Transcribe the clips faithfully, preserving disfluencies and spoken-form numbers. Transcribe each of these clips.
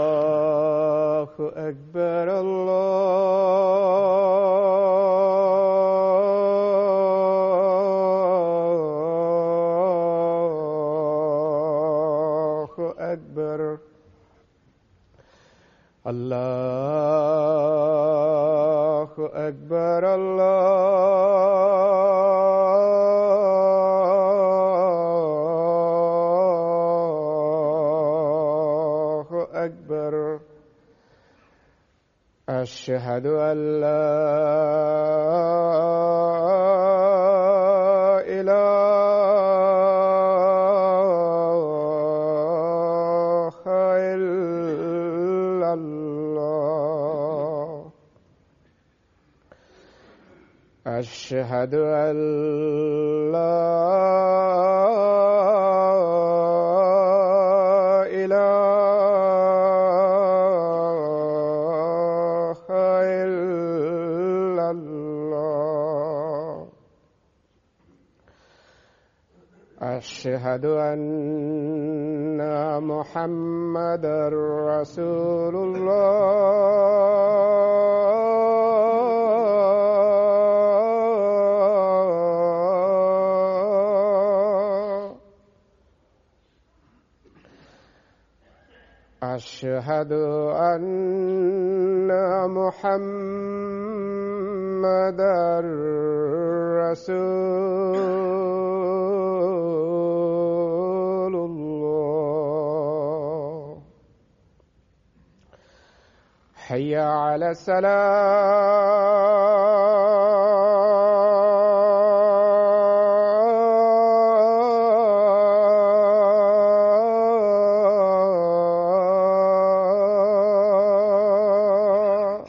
الله أكبر الله أكبر الله أكبر الله أكبر أشهد أن لا إله إلا الله أشهد أن لا إله إلا الله أشهد أن محمدا رسول الله أشهد أن محمدا رسول الله حي على السلام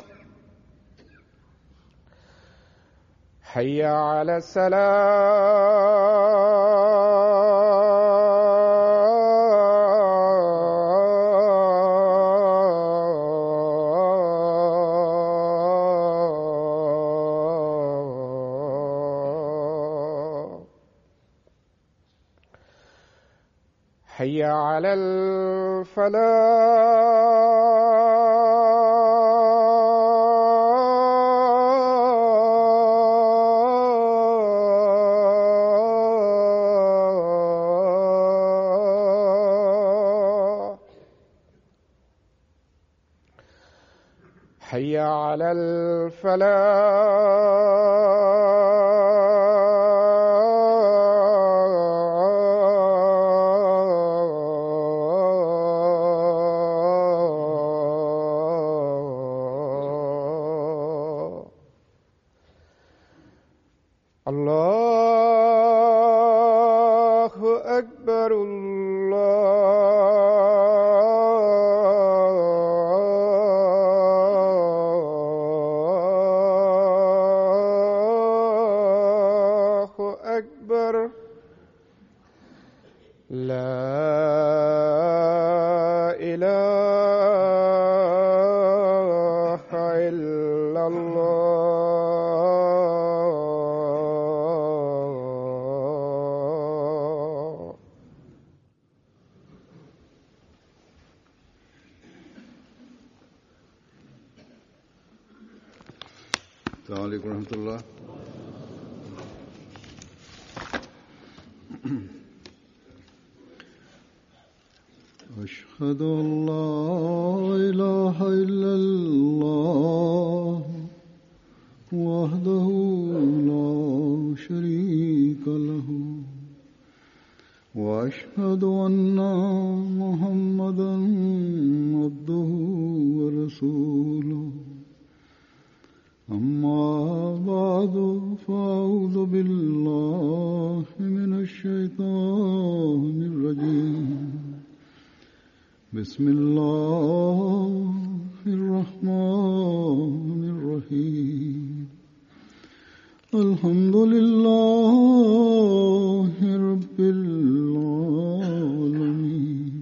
حي على السلام حي على الفلاح حي على الفلاح الله أكبر الله أكبر لا إله إلا الله السلام عليكم ورحمة الله. أشهد أن لا إله إلا الله وحده لا شريك له وأشهد أن محمدا عبده ورسوله. أما بعد فأعوذ بالله من الشيطان الرجيم. بسم الله الرحمن الرحيم. الحمد لله رب العالمين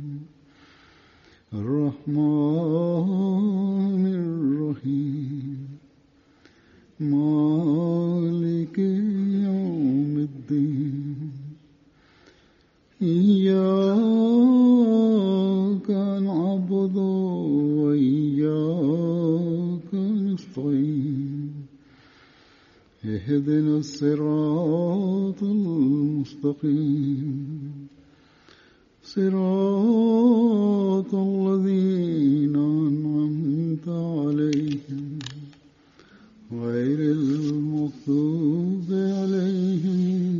الرحمن الرحيم مالك يوم الدين. إياك اهدنا الصراط المستقيم صراط الذين أنعمت عليهم غير المغضوب عليهم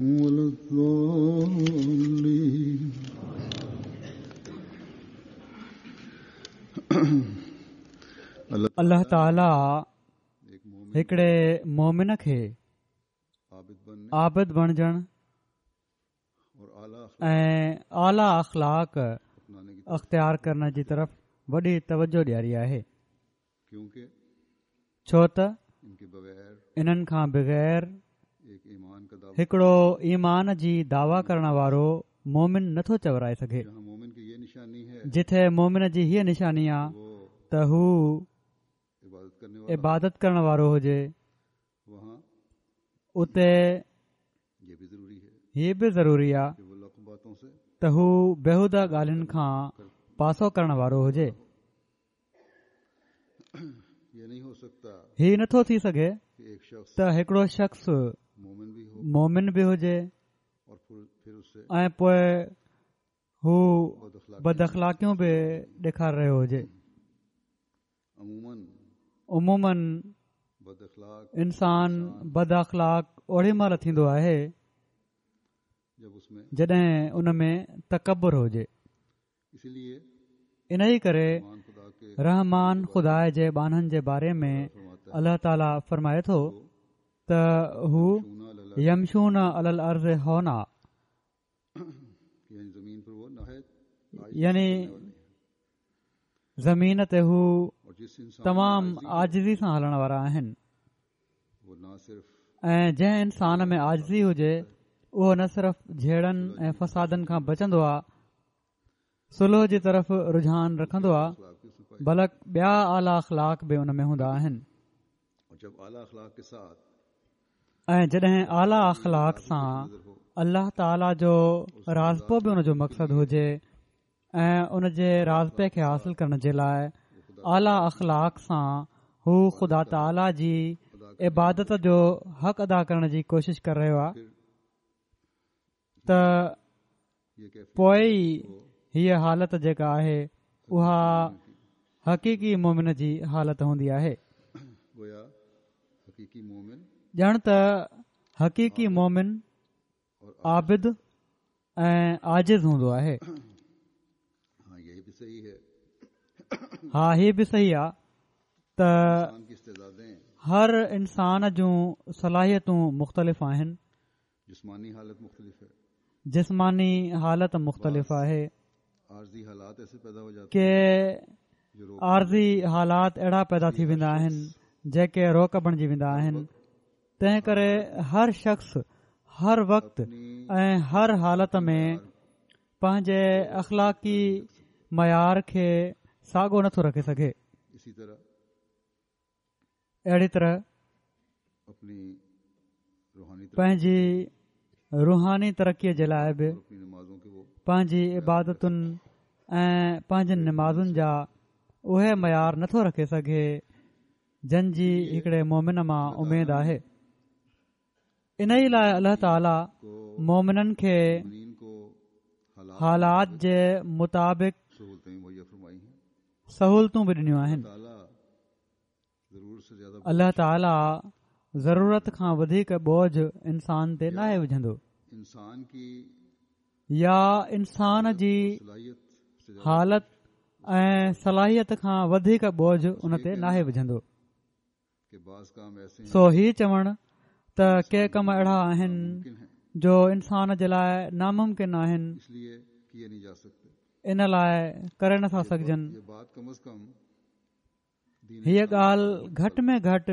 ولا الضالين. الله تعاليٰ هڪڙي مومن کي عابد بڻجڻ ۽ اعليٰ اخلاق اختيار ڪرڻ جي طرف وڏي توجه ڏياري آهي، ڇو ته انهن کان بغير هڪڙو ايمان جي دعويٰ ڪرڻ وارو مومن نٿو چورائي سگهي. جٿي مومن جي هيءَ نشاني آهي ته هو عبادت ڪرڻ وارو هجي، اتي هي به ضروري آهي ته هو بيهوده ڳالهين کان پاسو ڪرڻ وارو هجي. هي نٿو ٿي سگهي ته هڪڙو شخص مومن به هجي ۽ پوءِ هو بد اخلاقيون به ڏيکاري رهيو هجي. عموماً انسان بد اخلاق اوڙي مهل ٿيندو آهي جڏهن ان ۾ تڪبر هجي. ان ئي ڪري رحمان خدا جي ٻانهن جي باري ۾ الله تعاليٰ فرمائي ٿو ته هو يمشون علي الارض هونا، يعني زمين تي هو تمام عاجزي سان هلڻ وارا آهن. ۽ جنهن انسان ۾ عاجزي هجي اهو نه صرف جهيڙن ۽ فسادن کان بچندو آهي، صلح جي طرف رجحان رکندو آهي، بلڪ ٻيا اعليٰ اخلاق به ان ۾ هوندا آهن. ۽ جڏهن اعليٰ اخلاق سان الله تعاليٰ جو راضپو به ان جو مقصد هجي ۽ ان جي راضپي کي حاصل ڪرڻ جي لاءِ اعليٰ اخلاق سان هو خدا تعاليٰ جي عبادت جو حق ادا ڪرڻ جي ڪوشش ڪري رهيو آهي ته پوءِ ئي هيءَ حالت جيڪا آهي اها حقيقي مومن جي حالت هوندي آهي. ڄڻ ته حقيقي مومن عابد ۽ عاجز هوندو آهي. ها، هي به صحيح آهي ته هر انسان جون صلاحيتون مختلف آهن، جسماني حالت مختلف آهي، ڪي عارضي حالات اهڙا پيدا ٿي ويندا آهن جيڪي روڪ بڻجي ويندا آهن. تنهن ڪري هر شخص هر وقت ۽ هر حالت ۾ پنهنجي اخلاقي معيار کي ساڳو نٿو رکي سگهي. اهڙي طرح پنهنجي روحاني ترقيءَ جي لاءِ به پنهنجي عبادتن ۽ پنهنجن نمازن جا اهي معيار نٿو رکي سگهي جن جي هڪڙي مومن مان اميد آهي. ان ئي لاءِ الله تعاليٰ مومنن کي حالات جي مطابق سهولتون به ڏنيون آهن. الله تعاليٰ ضرورت کان وڌيڪ بوجهه انسان تي ناهي وجهندو يا انسان جي حالت ۽ صلاحيت کان وڌيڪ بوجهه ان تي ناهي وجهندو. سو هي چوڻ ته ڪي ڪم اهڙا آهن جو انسان جي لاءِ ناممڪن آهن، ان لاءِ ڪري نٿا سگهجن، هيءَ ڳالهه گهٽ ۾ گهٽ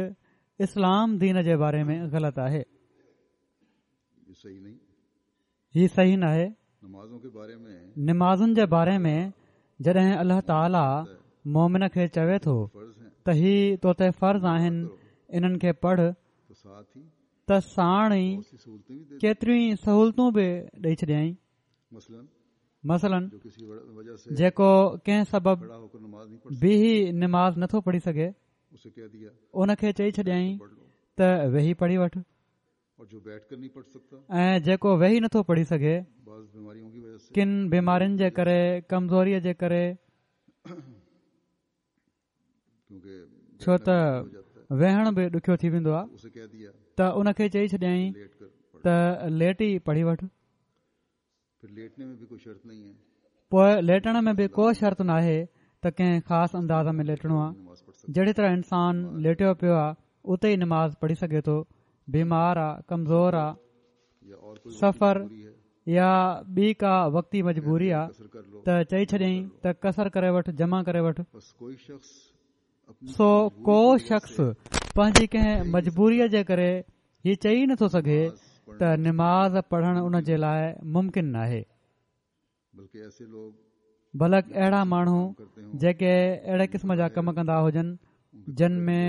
اسلام دين جي باري ۾ غلط آهي. هي صحيح ناهي. نمازن جي باري ۾ جڏهن الله تعاليٰ مومن کي چوي ٿو ته هي تو تي فرض آهن، انهن کي پڙهه، ته ساڻ ئي ڪيتريون ئي سهولتون به ڏيئي ڇڏيائين. مثلاً جيڪو ڪنهن سبب بيهي نماز نٿو پڙهي سگهي، ان کي چئي ڇڏيائين ته ويهي پڙهي وٺ، ۽ جيڪو ويهي نٿو پڙهي سگهي ڪن بيمارين جي ڪري، ڪمزوريءَ جي ڪري، ڇو ته ويهڻ به ڏکيو ٿي ويندو آهي، ته ان کي چئي ڇڏيائين ته ليٽي پڙهي وٺ. پوءِ ليٽڻ ۾ به ڪو شرط ناهي ته ڪنهن خاص انداز ۾ ليٽڻو آهي. جهڙي طرح انسان ليٽيو پيو آهي اتي ئي نماز پڙهي سگهي ٿو. بيمار آهي، ڪمزور آهي، سفر يا ٻي ڪا وقتي مجبوري آهي ته چئي ڇڏيائين ته قصر ڪري وٺ، جمع ڪري وٺ. سو ڪو شخص پنهنجي ڪنهن مجبوريءَ جي ڪري هي چئي نٿو سگهي ته نماز پڙهڻ ان جي لاءِ ممڪن ناهي. بلڪ اهڙا ماڻهو جيڪي اهڙي قسم جا ڪم ڪندا هجن جن ۾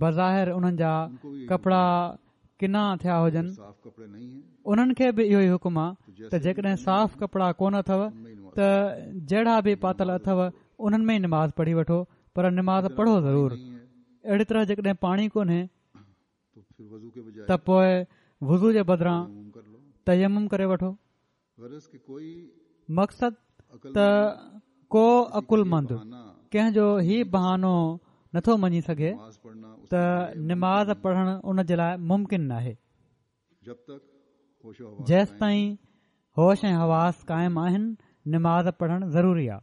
بظاهر انهن جا ڪپڙا ڪنا ٿيا هجن، انهن کي به اهو ئي حڪم آهي ته جيڪڏهن صاف ڪپڙا ڪونه اٿو ته جهڙا به پاتل اٿو انهن ۾ ئي نماز پڙهي وٺو، پر نماز پڙهو ضرور. اهڙي طرح جيڪڏهن پاڻي ڪونهي ته پوءِ وضو جي بدران تيمم ڪري وٺو. مقصد ته ڪو عقلمند ڪنهن جو هي بهانو نٿو مڃي سگهي ته نماز پڙهڻ ان جي لاءِ ممڪن ناهي. جيستائين هوش ۽ حواس قائم آهن نماز پڙهڻ ضروري آهي.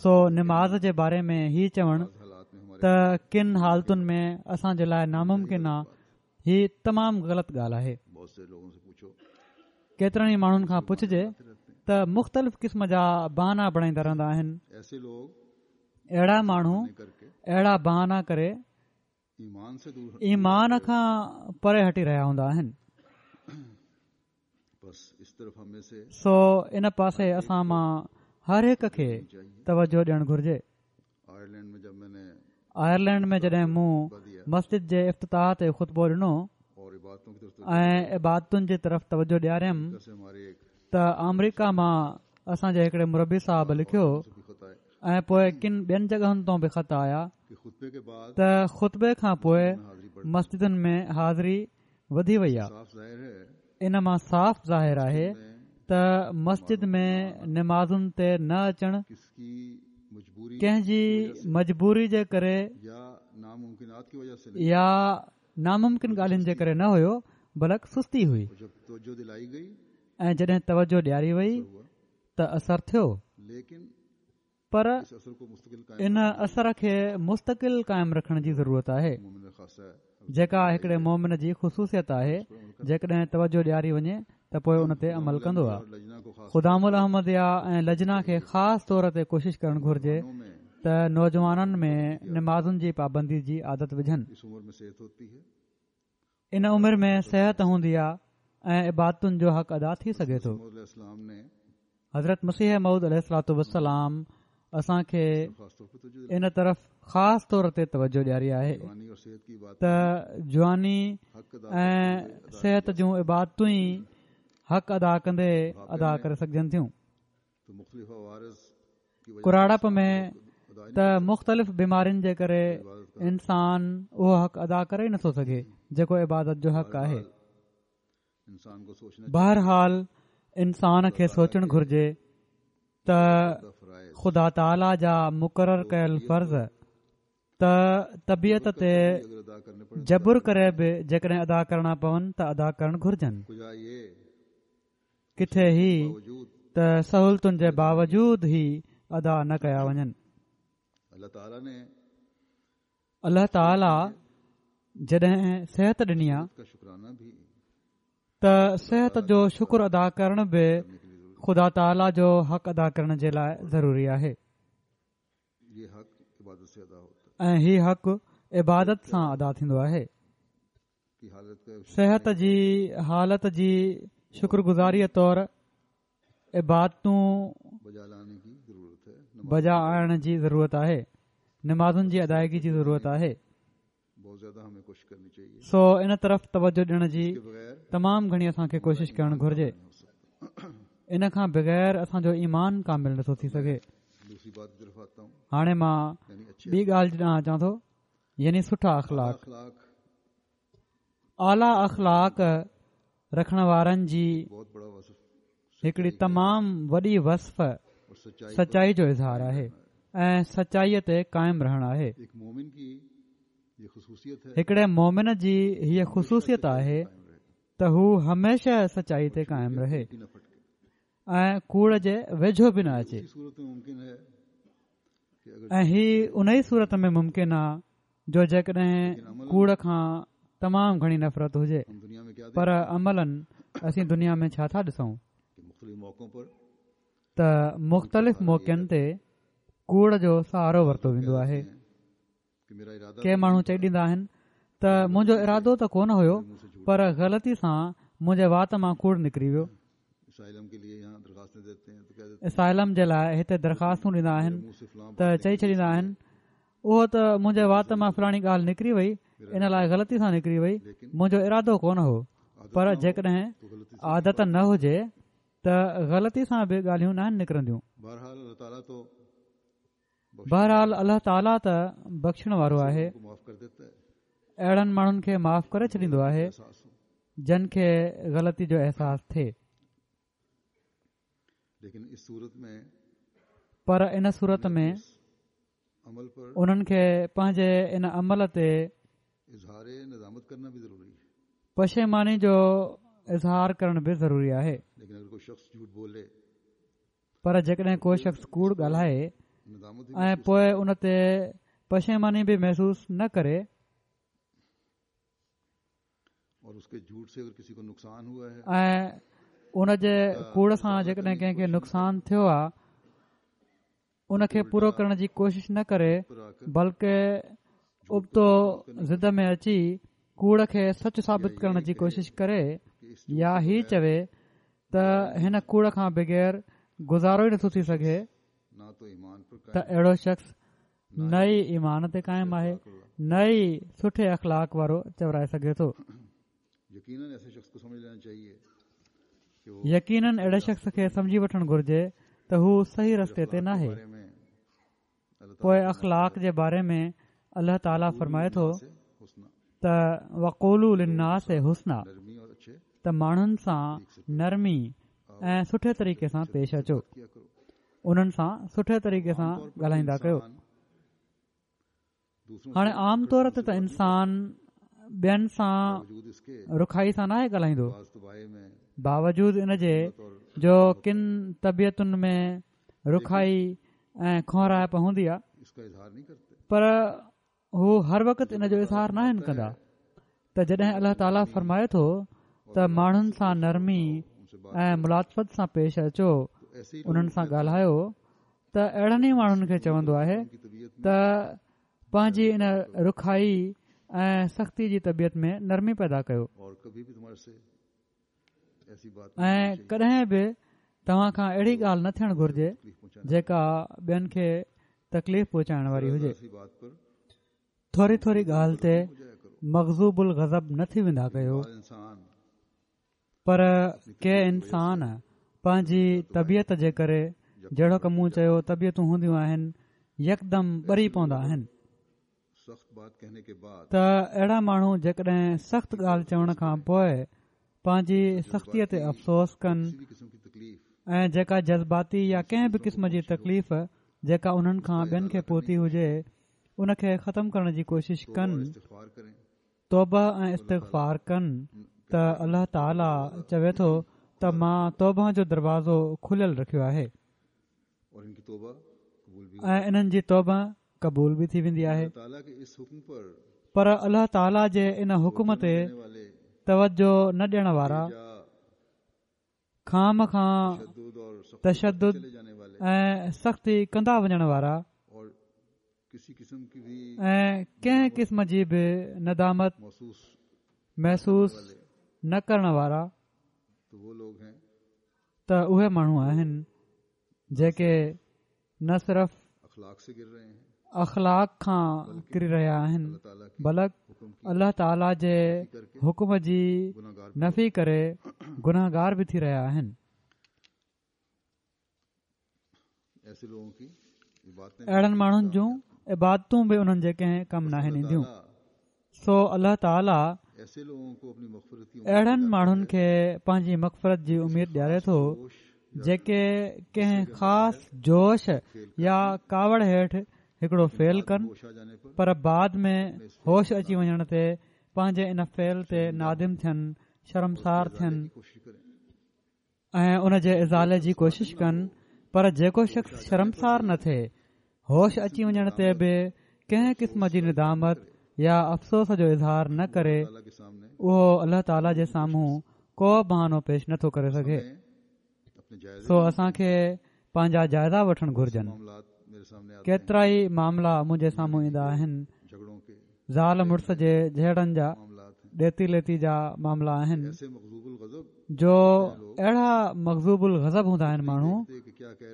سو نماز جي باري ۾ هي چوڻ ته ڪن حالتن ۾ اسان جي لاءِ ناممڪن آهي، هي تمام غلط ڳالهه آهي. ڪيترن ئي ماڻهن کان پڇجي ته مختلف قسم جا بهانا بڻائيندا رهندا آهن. اهڙا ماڻهو اهڙا بهانا ڪري ايمان کان پري هٽي رهيا هوندا آهن. سو ان پاسي اسان مان هر هڪ کي توجهه ڏيڻ گهرجي. آئرلينڊ ۾ جڏهن مون مسجد جي افتتاح تي خطبو ڏنو ۽ عبادتن جي طرف توجهه ڏياريم ته آمريڪا مان اسان جي هڪڙي مربي صاحب لکيو ۽ پوءِ ڪن ٻين جڳهن تان به خط آيا ته خطبي کان پوءِ مسجدن ۾ حاضري وڌي وئي آهي. ان مان صاف ظاهر آهي ته مسجد ۾ نمازن تي نه اچڻ ڪنهن جي مجبوري جي ڪري يا ناممڪن ڳالهين جي ڪري نه هيو، بلڪ سستي هئي. ۽ جڏهن توجهه ڏياري وئي ته اثر ٿيو، پر ان اثر کي مستقل قائم رکڻ جي ضرورت آهي، جيڪا هڪڙي مومن جي خصوصيت آهي. جيڪڏهن توجهه ڏياري وڃي ته پوءِ ان تي عمل ڪندو آهي. خدام الاحمديه ۽ لجنا کي خاص طور تي ڪوشش ڪرڻ گهرجي ته نوجوانن ۾ نمازن جي پابندي جي عادت وجهن. ان عمر ۾ صحت هوندي آهي ۽ عبادتن جو حق ادا ٿي سگهي ٿو. حضرت مسيح موعود عليه الصلوة والسلام اسان کي ان طرف خاص طور تي توجهه ڏياري آهي ته جواني ۽ صحت جون عبادتون ئي حق ادا ڪندي ادا ڪري سگهجن ٿيون. ڪراڙپ ۾ ته مختلف بيمارين جي ڪري انسان اهو حق ادا ڪري ئي نٿو سگهي جيڪو عبادت جو حق آهي. بهرحال انسان کي سوچڻ گهرجي ته خدا تعاليٰ جا مقرر ڪيل فرض ته طبيعت تي جبر ڪري به جيڪڏهن ادا ڪرڻا پون ته ادا ڪرڻ گهرجن. ڪٿي هي ته سهولتن جي باوجود هي ادا نه ڪيا وڃن. الله تعاليٰ جڏهن صحت ڏني آهي ته صحت جو شڪر ادا ڪرڻ به خدا تعاليٰ جو حق ادا ڪرڻ جي لاءِ ضروري آهي ۽ هي حق عبادت سان ادا ٿيندو آهي. صحت جي حالت جي شڪر گذاريءَ طور عبادتون بجا آڻڻ جي ضرورت آهي، نمازن جي ادائگي جي ضرورت آهي. سو ان طرف توجهه ڏيڻ جي تمام گهڻي اسان کي ڪوشش ڪرڻ گهرجي. ان کان بغير اسان جو ايمان ڪامل نٿو ٿي سگهي. هاڻي مان ٻي ڳالهه ڏانهن اچان ٿو. يعني سٺا اخلاق. اعليٰ اخلاق رکڻ وارن جي هڪڙي تمام وڏي وصف سچائي جو اظهار آهي ۽ سچائيءَ تي قائم رهڻ آهي. هڪڙي مومن جي هيءَ خصوصيت آهي ته هو هميشه سچائي تي قائم رهي ۽ ڪوڙ جي ويجهو به نه اچي، ۽ هي ان ئي صورت ۾ ممڪن آهي جو جيڪڏهن ڪوڙ کان تمام گهڻي نفرت هجي. پر عملاً اسين دنيا ۾ ڇا ٿا ڏسون ته مختلف موقعن تي ڪوڙ جو سهارو ورتو ويندو آهي. ڪي ماڻهو چئي ڏيندا آهن ته منهنجو ارادو ته ڪونه هيو، پر غلطي سان منهنجي وات مان ڪوڙ نڪري ويو. اسائلم جي لاءِ هتي درخواستون ڏيندا آهن ته چئي ڇڏيندا آهن اهو ته منهنجي وات مان فلاڻي ڳالهه نڪري وئي، ان لاءِ غلطي سان نڪري وئي، منهنجو ارادو ڪونه هو. پر جيڪڏهن عادت نه هجي ته غلطي سان به ڳالهيون ناهن نڪرنديون. بهرحال الله تعاليٰ ته بخشڻ وارو آهي، اهڙن ماڻهن کي معاف ڪري ڇڏيندو آهي جن کي غلطي جو احساس ٿئي. پر ان صورت ۾ انهن کي پنهنجي ان عمل تي پشيماني جو اظهار ڪرڻ به ضروري آهي. پر جيڪڏهن ڪو شخص ڪوڙ ڳالهائي ۽ پوءِ ان تي پشيماني به محسوس نه ڪري ۽ ان جي ڪوڙ سان جيڪڏهن ڪنهن کي نقصان ٿيو آهي ان کي پورو ڪرڻ جي ڪوشش نه ڪري، بلڪه ابتو ضد ۾ اچي ڪوڙ کي سچ ثابت ڪرڻ جي ڪوشش ڪري يا هي چوي ته هن ڪوڙ کان بغير گذارو ئي نٿو ٿي سگهي، ته اهڙو شخص نه ئي ايمان تي قائم آهي نه ئي سٺي اخلاق وارو چورائي سگهي ٿو. يقينن اهڙي شخص کي سمجهي وٺڻ گهرجي ته هو صحيح رستي تي ناهي. پوءِ اخلاق جي باري ۾ الله تعاليٰ فرمائي ٿو ته وقولوا للناس حسنا، ته ماڻهن سان نرمي ۽ سٺي طريقي سان پيش اچو، انهن سان سٺي طريقي سان ڳالهائيندا ڪيو. هاڻي عام طور تي ته انسان ٻين سان رکائي سان ناهي ڳالهائيندو، باوجود ان جي جو ڪن طبيعتن ۾ رکائي ۽ کهرائپ هوندي آهي، پر هو هر وقت ان جو اظهار ناهن ڪندا. ته جڏهن الله تعاليٰ فرمائي ٿو ته ماڻهن سان نرمي ۽ ملاطفت سان پيش اچو، انهن سان ڳالهايو، ته اهڙن ئي ماڻهن کي چوندو آهي ته پنهنجي ان رکائي ۽ سختي جي طبيعت ۾ نرمي پيدا ڪيو ۽ ڪڏهن به توهان کان اهڙي ڳالهه نه ٿيڻ گهرجي جيڪا ٻين کي تڪليف پهچائڻ واري هجي. ٿوري ٿوري ڳالهه تي مغضوب الغضب نه ٿي ويندا ڪيو. پر ڪي انسان پنهنجي طبيعت جي ڪري، جهڙوڪ مون چيو طبيعتون هونديون آهن، يڪدم ٻري پوندا آهن. ته اهڙا ماڻهو جيڪڏهن سخت ڳالهه چوڻ کان پوءِ پنهنجي سختيءَ تي افسوس ڪن ۽ جيڪا جذباتي يا ڪنهن به قسم جي تڪليف جيڪا انهن کان ٻين کي پهتي هجي ان کي ختم ڪرڻ جي ڪوشش ڪن، توبه ۽ استغفار ڪن، ته الله تعاليٰ چوي ٿو ته مان توبه جو دروازو کليل رکيو آهي ۽ انهن جي توبه قبول به ٿي ويندي آهي. پر الله تعاليٰ جي ان حڪم تي توجه نه ڏيڻ وارا، خام کان تشدد ۽ سختي ڪندا وڃڻ وارا ۽ ڪنهن قسم جي به ندامت محسوس نه ڪرڻ وارا، ته اهي ماڻهو آهن جيڪي نه صرف اخلاق کان ڪري رهيا آهن بلڪ الله تعاليٰ جي حڪم جي نفي ڪري گناهگار به ٿي رهيا آهن. اهڙن ماڻهن جون عبادتون به انهن جي ڪنهن ڪم ناهن اينديون. سو الله تعاليٰ اهڙن ماڻهن کي پنهنجي مغفرت جي اميد ڏياري ٿو جيڪي ڪنهن خاص جوش يا ڪاوڙ هيٺ هڪڙو فعل ڪن، پر بعد ۾ هوش اچي وڃڻ تي پنهنجي ان فعل تي نادم ٿين، شرمسار ٿين ۽ ان جي ازالي جي ڪوشش ڪن. پر جيڪو شخص شرمسار نه ٿئي، هوش اچي وڃڻ تي به ڪنهن قسم جي ندامت يا افسوس جو اظهار نه ڪري، اهو الله تعاليٰ جي سامهون ڪو بهانو پيش نٿو ڪري سگهي. سو اسان کي پنهنجا جائزا وٺڻ گهرجن. ڪيترا ئي معاملا منهنجي سامهون ايندا آهن، زال مڙس جي جهيڙن جا، ڏيتي ليتي جا معاملا آهن، جو اهڙا مغضوب الغضب هوندا آهن ماڻهو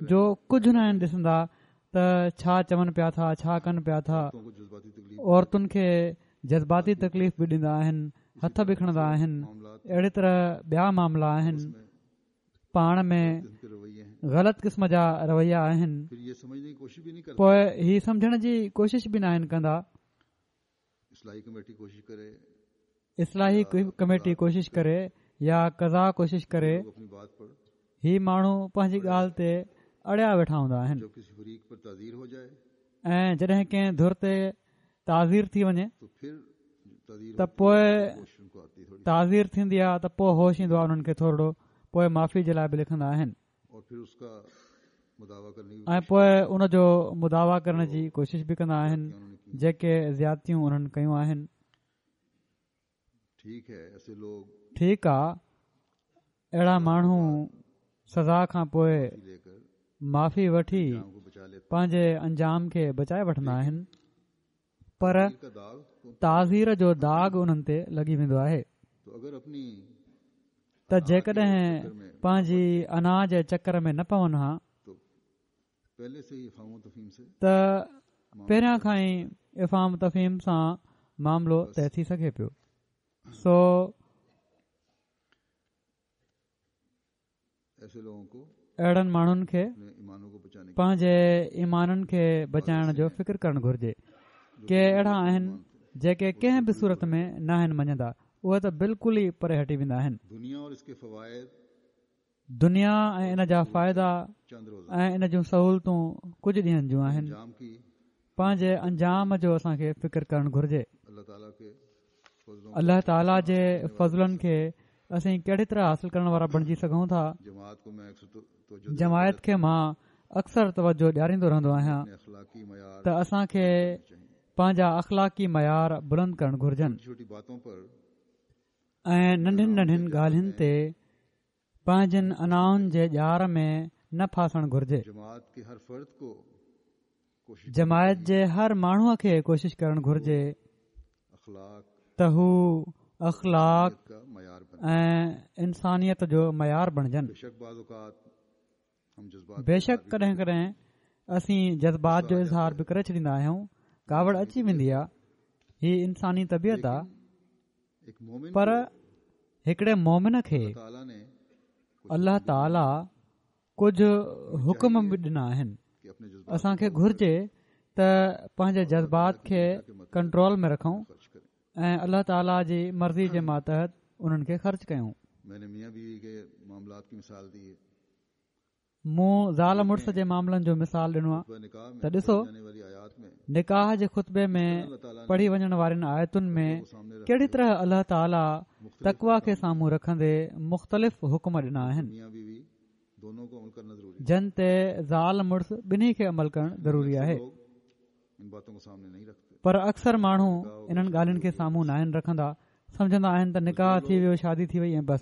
جو ڪجهه نه آهن ڏسندا ته ڇا چون پيا ٿا، ڇا ڪن پيا ٿا. عورتن کي جذباتي تڪليف به ڏيندا آهن، هٿ به کڻندا آهن. اهڙي طرح ٻيا معاملا آهن، پاڻ ۾ غلط قسم جا رويا آهن. پوءِ هي سمجهڻ جي ڪوشش به ناهن ڪندا. اصلاحي ڪميٽي ڪوشش ڪري يا قضا ڪوشش ڪري، هي ماڻهو پنهنجي ڳالهه تي اڙيا ويٺا هوندا آهن. ۽ جڏهن ڪنهن ڌر تي تعزير ٿي وڃي ته پوءِ تعزير ٿيندي آهي ته پوءِ هوش ايندو آهي انهن کي ٿورڙو، پوءِ معافي جي لاءِ به لکندا آهن ۽ پوءِ ان جو مداوا ڪرڻ جي ڪوشش به ڪندا آهن جيڪي زيادتيون انهن ڪيون آهن. ٺيڪ آهي، اهڙا ماڻهو سزا کان پوءِ معافي وٺي پنهنجي انجام کي بچائي وٺندا آهن، پر تعزير جو داغ انهن تي لڳي ويندو آهي. ته جيڪڏهن پنهنجي انا جي چڪر ۾ نه پون ها ته پهريان کان ئي افهام تفهيم سان معاملو طئي ٿي سگهي پيو. سو اهڙن ماڻهن کي پنهنجي ايمانن کي بچائڻ جو فڪر ڪرڻ گهرجي. ڪي اهڙا آهن جيڪي ڪنهن به صورت ۾ ناهن مڃندا، اهي ته بلڪل ئي پري هٽي ويندا آهن. دنيا ۽ ان جا فائدا ۽ ان جون سهولتون ڪجهه ڏينهن جون آهن. پنهنجي انجام جو اسان کي فڪر ڪرڻ گهرجي. الله تعاليٰ جي فضلن کي اسين ڪهڙي طرح حاصل ڪرڻ وارا بڻجي سگهون ٿا؟ جماعت کي مان اڪثر توجه ڏياريندو رهندو آهيان ته اسان کي پنهنجا اخلاقي معيار بلند ڪرڻ گهرجن ۽ ننڍين ننڍين ڳالهين تي پنهنجن انائن جي ڄار ۾ نه ڦاسڻ گهرجي. جماعت جي هر ماڻهوءَ کي ڪوشش ڪرڻ گهرجي ته هو اخلاق ۽ انسانيت جو معيار بڻجن. بيشڪ ڪڏهن ڪڏهن اسين جذبات جو اظهار به ڪري ڇڏيندا آهيون، ڪاوڙ اچي ويندي آهي، هي انساني طبيعت آهي. پر هڪڙي مومن کي الله تعاليٰ ڪجهه حڪم به ڏنا آهن. اسان کي گهرجي ته پنهنجي جذبات کي ڪنٽرول ۾ رکون ۽ الله تعاليٰ جي مرضي جي ماتحت انهن کي خرچ ڪيون. مون زال مڙس جي معاملن جو مثال ڏنو آهي ته ڏسو، نڪاح جي خطبي ۾ پڙهي وڃڻ وارين آيتن ۾ ڪهڙي طرح الله تعاليٰ تقويٰ کي سامهون رکندي مختلف حڪم ڏنا آهن، جن تي زال مڙس ٻنهي کي عمل ڪرڻ ضروري آهي. پر اڪثر ماڻهو انهن ڳالهين کي سامهون ناهن رکندا، سمجهندا آهن ته نڪاح ٿي ويو، شادي ٿي وئي ۽ بس.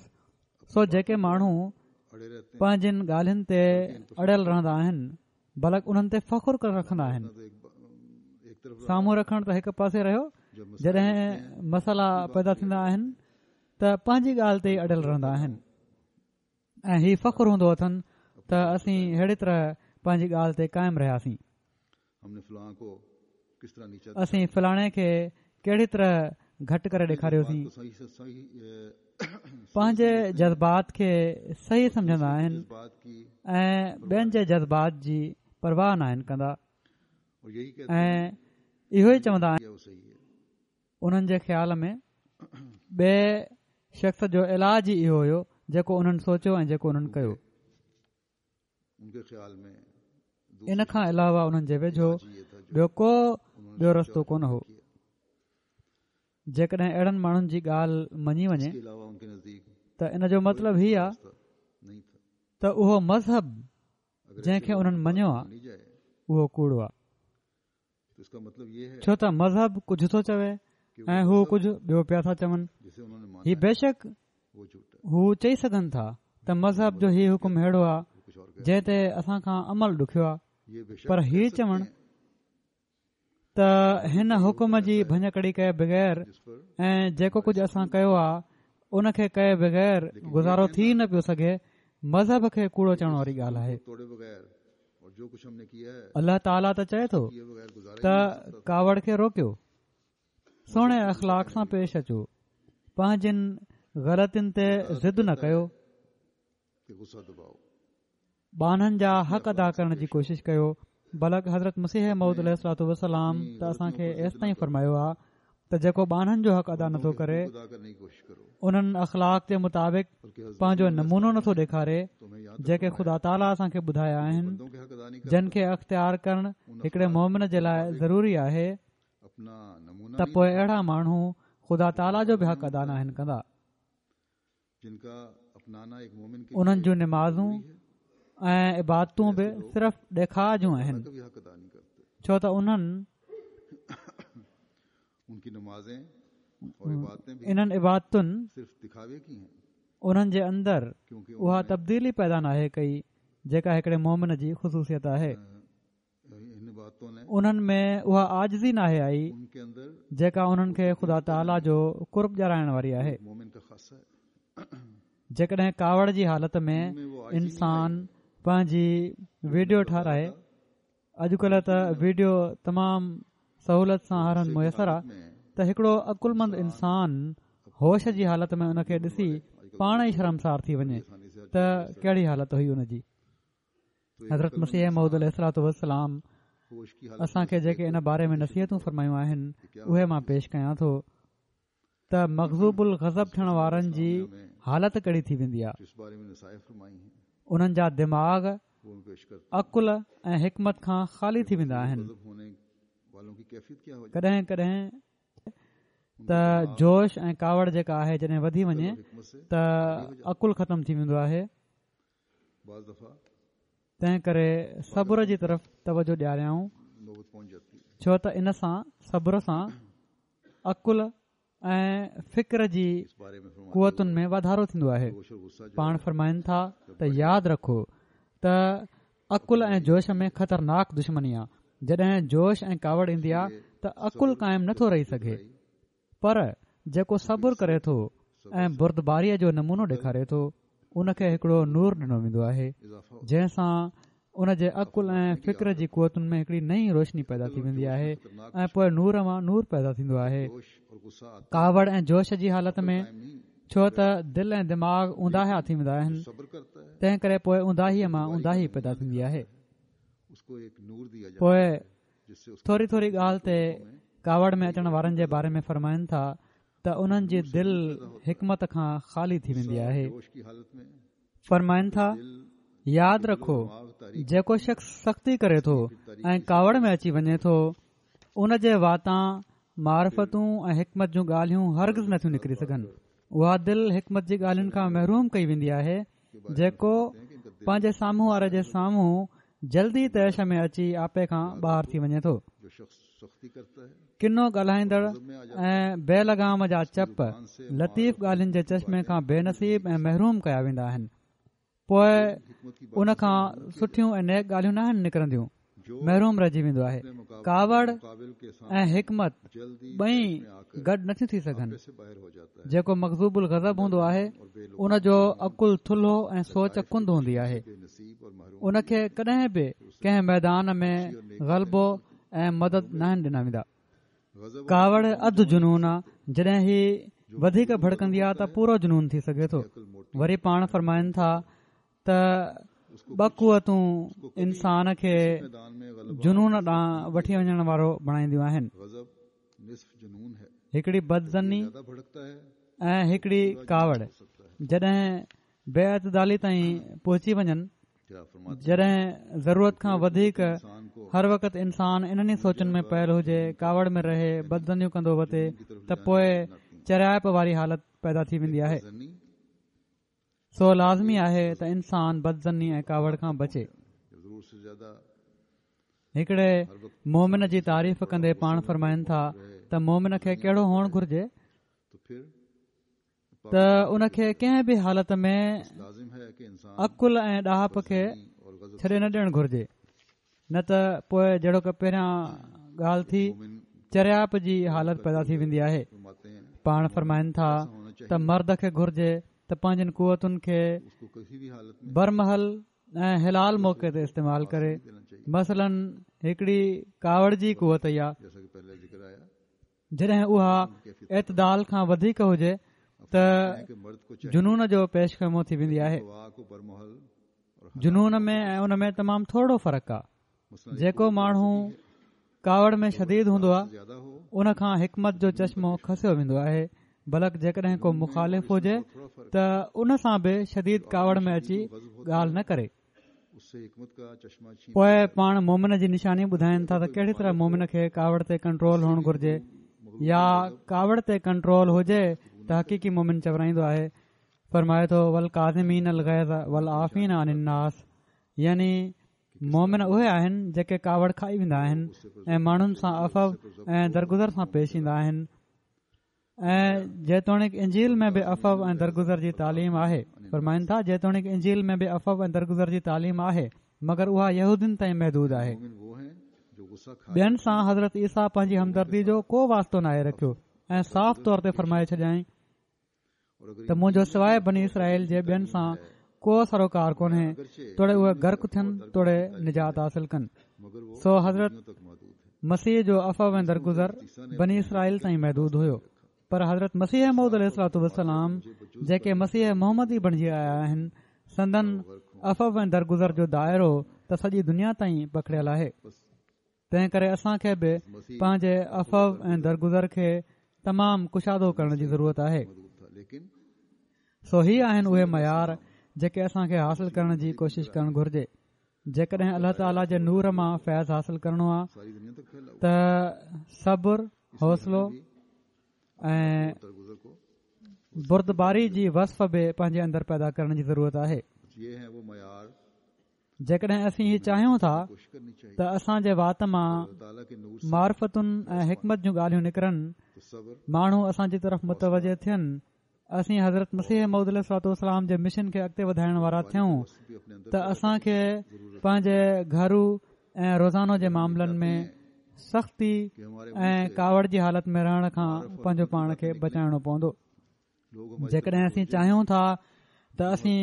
سو جيڪي ماڻهو پنهنجن ڳالهين تي اڙيل رهندا آهن، بلڪ انهن تي فخر ڪري رکندا آهن، سامهون رکڻ ته هڪ پاسي رهيو، جڏهن مسئلا پيدا ٿيندا آهن ته پنهنجي ڳالهه تي ئي اڙيل رهندا آهن ۽ هي فخر هوندو اٿن ته اسين اهڙي طرح پنهنجي ڳالهه تي قائم رهياسين، اسين فلاڻي کي ڪهڙي طرح گهٽ ڪري ڏيکاريوسين. پنهنجي جذبات کي صحيح سمجهندا آهن ۽ ٻين جي جذبات جي پرواهه ناهن ڪندا. ۽ اهو ئي چوندا آهن. انهن جي خيال ۾ ٻئي شخص جو علاج ئي اهو هيو جيڪو انهن سوچيو ۽ جيڪو انهن ڪيو. ان کان علاوه انهن جي ويجهو ٻيو ڪو ٻيو رستو ڪونه هو. جيڪڏهن اهڙن ماڻهن جي ڳالهه مڃي وڃي ته ان جو مطلب هي آهي ته اهو مذهب جنهن کي انهن مڃيو آهي اهو ڪوڙو آهي، ڇو ته مذهب ڪجهه ٿو چوي ۽ هو ڪجهه ٻيو پيا ٿا چون. هي بيشڪ هو چئي سگهن ٿا ته مذهب جو هي حڪم اهڙو آهي جنهن تي اسان کان عمل ڏکيو آهي، پر هي چوڻ ته هن حڪم جي ڀڃڪڙي ڪئي بغير ۽ جيڪو ڪجهه اسان ڪيو آهي ان کي ڪئي بغير گذارو ٿي نه پيو سگهي، مذهب کي ڪوڙو چوڻ واري ڳالهه آهي. الله تعاليٰ ته چئي ٿو ته ڪاوڙ کي روڪيو، سهڻي اخلاق سان پيش اچو، پنهنجين غلطين تي ضد نه ڪيو، ٻانهن جا حق ادا ڪرڻ جي ڪوشش ڪيو. بلڪ حضرت مسيح موعود عليه الصلوة والسلام ته اسان کي ايستائين فرمايو آهي ته جيڪو ٻانهن جو حق ادا نٿو ڪري، انهن اخلاق جي مطابق پنهنجو نمونو نٿو ڏيکاري جيڪي خدا تعاليٰ اسان کي ٻڌايا آهن، جن کي اختيار ڪرڻ هڪڙي مومن جي لاء ضروري آهي، ته پوء اهڙا ماڻهو خدا تعاليٰ جو به حق ادا ناهن ڪندا. انهن جون نمازون ۽ عبادتون به صرف ڏيکاء جون آهن، ڇو ته انهن انهن عبادتن انهن جي اندر اها تبديلي پيدا ناهي ڪئي جيڪا هڪڙي مومن جي خصوصيت آهي. انهن ۾ اها عاجزي ناهي آئي جيڪا انهن کي خدا تعاليٰ جو قرب ڏيارائڻ واري آهي. جيڪڏهن ڪاوڙ جي حالت ۾ انسان پنهنجي ويڊيو ٺاهرائي، اڄڪلهه ته ويڊيو تمام سهولت سان هر هنڌ ميسر آهي، ته هڪڙو عقلمند انسان هوش جي حالت ۾ ان کي ڏسي پاڻ ئي شرمسار ٿي وڃي ته ڪهڙي حالت هئي ان جي. حضرت مسيح موعود عليه الصلوة والسلام اسان کي جيڪي ان باري ۾ نصيحتون فرمايون آهن اهي مان پيش ڪيان ٿو ته مغضوب الغضب ٿيڻ وارن جي حالت ڪهڙي ٿي ويندي آهي. انهن جا دماغ عقل ۽ حڪمت کان خالي ٿي ويندا آهن. ڪڏهن ڪڏهن ته جوش ۽ ڪاوڙ جيڪا آهي جڏهن وڌي وڃي ته عقل ختم ٿي ويندو آهي. تنهن ڪري صبر جي طرف توجه ڏياريائون، ڇو ته ان سان صبر سان عقل ۽ فڪر جي قوتن ۾ واڌارو ٿيندو آهي. پاڻ فرمائن ٿا ته ياد رکو ته عقل ۽ جوش ۾ خطرناڪ دشمني آهي. جڏهن جوش ۽ ڪاوڙ ايندي آهي ته عقل قائم نٿو رهي سگهي، پر جيڪو صبر ڪري ٿو ۽ بردباريء جو نمونو ڏيکاري ٿو ان کي هڪڙو نور ڏنو ويندو آهي، جنهن سان ان جي عقل ۽ فڪر جي قوتن ۾ هڪڙي نئين روشني پيدا ٿي ويندي آهي ۽ پوء نور مان نور پيدا ٿيندو آهي. ڪاوڙ ۽ جوش جي حالت ۾ ڇو ته دل ۽ دماغ اونداها ٿي ويندا آهن، تنهن ڪري پوء اونداهيء مان اونداهي پيدا ٿيندي آهي. پوء ٿوري ٿوري ڳالهه تي ڪاوڙ ۾ اچڻ وارن جي باري ۾ فرمائن ٿا ته انهن جي دل حڪمت کان خالي ٿي ويندي آهي. فرمائن ٿا، ياد رکو جيڪو شخص سختي ڪري ٿو ۽ ڪاوڙ ۾ اچي وڃي ٿو ان جي واتان معرفتون ۽ حڪمت جون ڳالهيون هرگز نٿيون نڪري سگهن. اها دل حڪمت جي ڳالهين کان محروم ڪئي ويندي آهي جيڪو پنهنجي سامهون واري جي سامهون جلدي طيش ۾ اچي آپي کان ٻاهر ٿي وڃي ٿو. ڪنو ڳالهائيندڙ ۽ بي لگام جا چپ لطيف ڳالهين جي چشمي کان بي نصيب ۽ محروم ڪيا ويندا آهن، پوء ان کان سٺيون ۽ نيڪ ڳالهيون ناهن نڪرنديون، محروم رهجي ويندو آهي. ڪاوڙ ۽ حڪمت ٻئي گڏ نٿيون ٿي سگهن. جيڪو مغضوب الغضب هوندو آهي ان جو عقل ٿلهو ۽ سوچ ڪند هوندي آهي. ان کي ڪڏهن به ڪنهن ميدان ۾ غلبو ۽ مدد ناهن ڏنا ويندا. ڪاوڙ اڌ جنون آ، جڏهن هي وڌيڪ ڀڙڪندي آ ته پورو جنون ٿي سگهي ٿو. وري پاڻ فرمائن ٿا ته ٻه قوتون انسان کي جنون ڏانهن وٺي وڃڻ وارو بڻائينديون آهن، هڪڙي بدظني ۽ هڪڙي ڪاوڙ. جڏهن بي اعتدالي تائين پهچي وڃن، جڏهن ضرورت کان وڌيڪ هر وقت انسان انهن ئي سوچن ۾ پيل هجي، ڪاوڙ ۾ رهي، بدظنيون ڪندو وتي، ته پوء چريائپ واري حالت پيدا ٿي ويندي آهي. سو لازمي آهي ته انسان بدظني ۽ ڪاوڙ کان بچي. هڪڙي مومن جي تعريف ڪندي پاڻ فرمائن ٿا ته مومن کي ڪهڙو هئڻ گهرجي ته ان کي ڪنهن به حالت ۾ عقل ۽ ڏاهپ کي ڇڏي نه ڏيڻ گهرجي، نه ته پوء جهڙوڪ پهريان ڳالهه ٿي چريائپ جي حالت پيدا ٿي ويندي آهي. پاڻ فرمائن ٿا ته مرد کي گهرجي ته پنهنجن قوتن کي برمحل ۽ حلال موقعي تي استعمال ڪري. مثلاً هڪڙي ڪاوڙ جي قوت يا جڏهن اها اعتدال کان وڌيڪ هجي ته جنون جو پيش خيمو ٿي ويندي آهي. جنون ۾ ۽ ان ۾ تمام ٿورو فرق آهي. جيڪو ماڻهو ڪاوڙ ۾ شديد هوندو آهي ان کان حڪمت جو چشمو کسيو ويندو آهي، بلڪ جيڪڏهن ڪو مخالف هجي ته ان سان به شديد ڪاوڙ ۾ اچي ڳالهه نه ڪري. پوءِ پاڻ مومن جي نشاني ٻڌائين ٿا ته ڪهڙي طرح مومن کي ڪاوڙ تي ڪنٽرول هئڻ گهرجي، يا ڪاوڙ تي ڪنٽرول هجي ته حقيقي مومن چورائيندو آهي. فرمائي ٿو والڪاظمين الغيظ والعافين عن الناس، يعني مومن اهي آهن جيڪي ڪاوڙ کائي ويندا آهن ۽ ماڻهن سان عفو ۽ درگذر سان پيش ايندا آهن. ۽ جيتوڻيڪ انجيل ۾ به عفو ۽ درگذر جي تعليم آهي، فرمائن ٿا جيتوڻيڪ انجيل ۾ به عفو ۽ درگذر جي تعليم آهي مگر اها يهودين تائين محدود آهي. ٻين سان حضرت عيسيٰ پنهنجي همدردي جو ڪو واسطو ناهي رکيو ۽ صاف طور تي فرمائي ڇڏيائين ته منهنجو سواءِ بني اسرائيل جي ٻين سان ڪو سروڪار ڪونهي، توڙي اهي غرق ٿين توڙي نجات حاصل ڪن. سو حضرت مسيح جو عفو ۽ درگذر بني اسرائيل تائين محدود هيو، پر حضرت مسيح موعود عليه الصلوة والسلام جيڪي مسيح محمدي بڻجي آيا آهن، سندن عفو ۽ درگذر جو دائرو ته سڄي دنيا تائين پکڙيل آهي. تنهن ڪري اسان کي به پنهنجي عفو ۽ درگذر کي تمام ڪشادو ڪرڻ جي ضرورت آهي. سو هي آهن اهي معيار جيڪي اسان کي حاصل ڪرڻ جي ڪوشش ڪرڻ گهرجي. جيڪڏهن الله تعاليٰ جي نور مان فيض حاصل ڪرڻو آهي ته صبر، حوصلو ۽ بردباري جي وصف به پنهنجي اندر پيدا ڪرڻ جي ضرورت آهي. جيڪڏهن اسين هي چاهيون ٿا ته اسان جي وات مان معرفتن ۽ حڪمت جون ڳالهيون نڪرن، ماڻهو اسان جي طرف متوجه ٿين، اسين حضرت مسيح موعود عليه الصلوة والسلام جي مشن کي اڳتي وڌائڻ وارا ٿيون ته اسان کي پنهنجي گهرو ۽ روزانو جي معاملن ۾ سختي ۽ ڪاوڙ جي حالت ۾ رهڻ کان پنهنجو پاڻ کي بچائڻو پوندو. جيڪڏهن اسين چاهيون ٿا ته اسين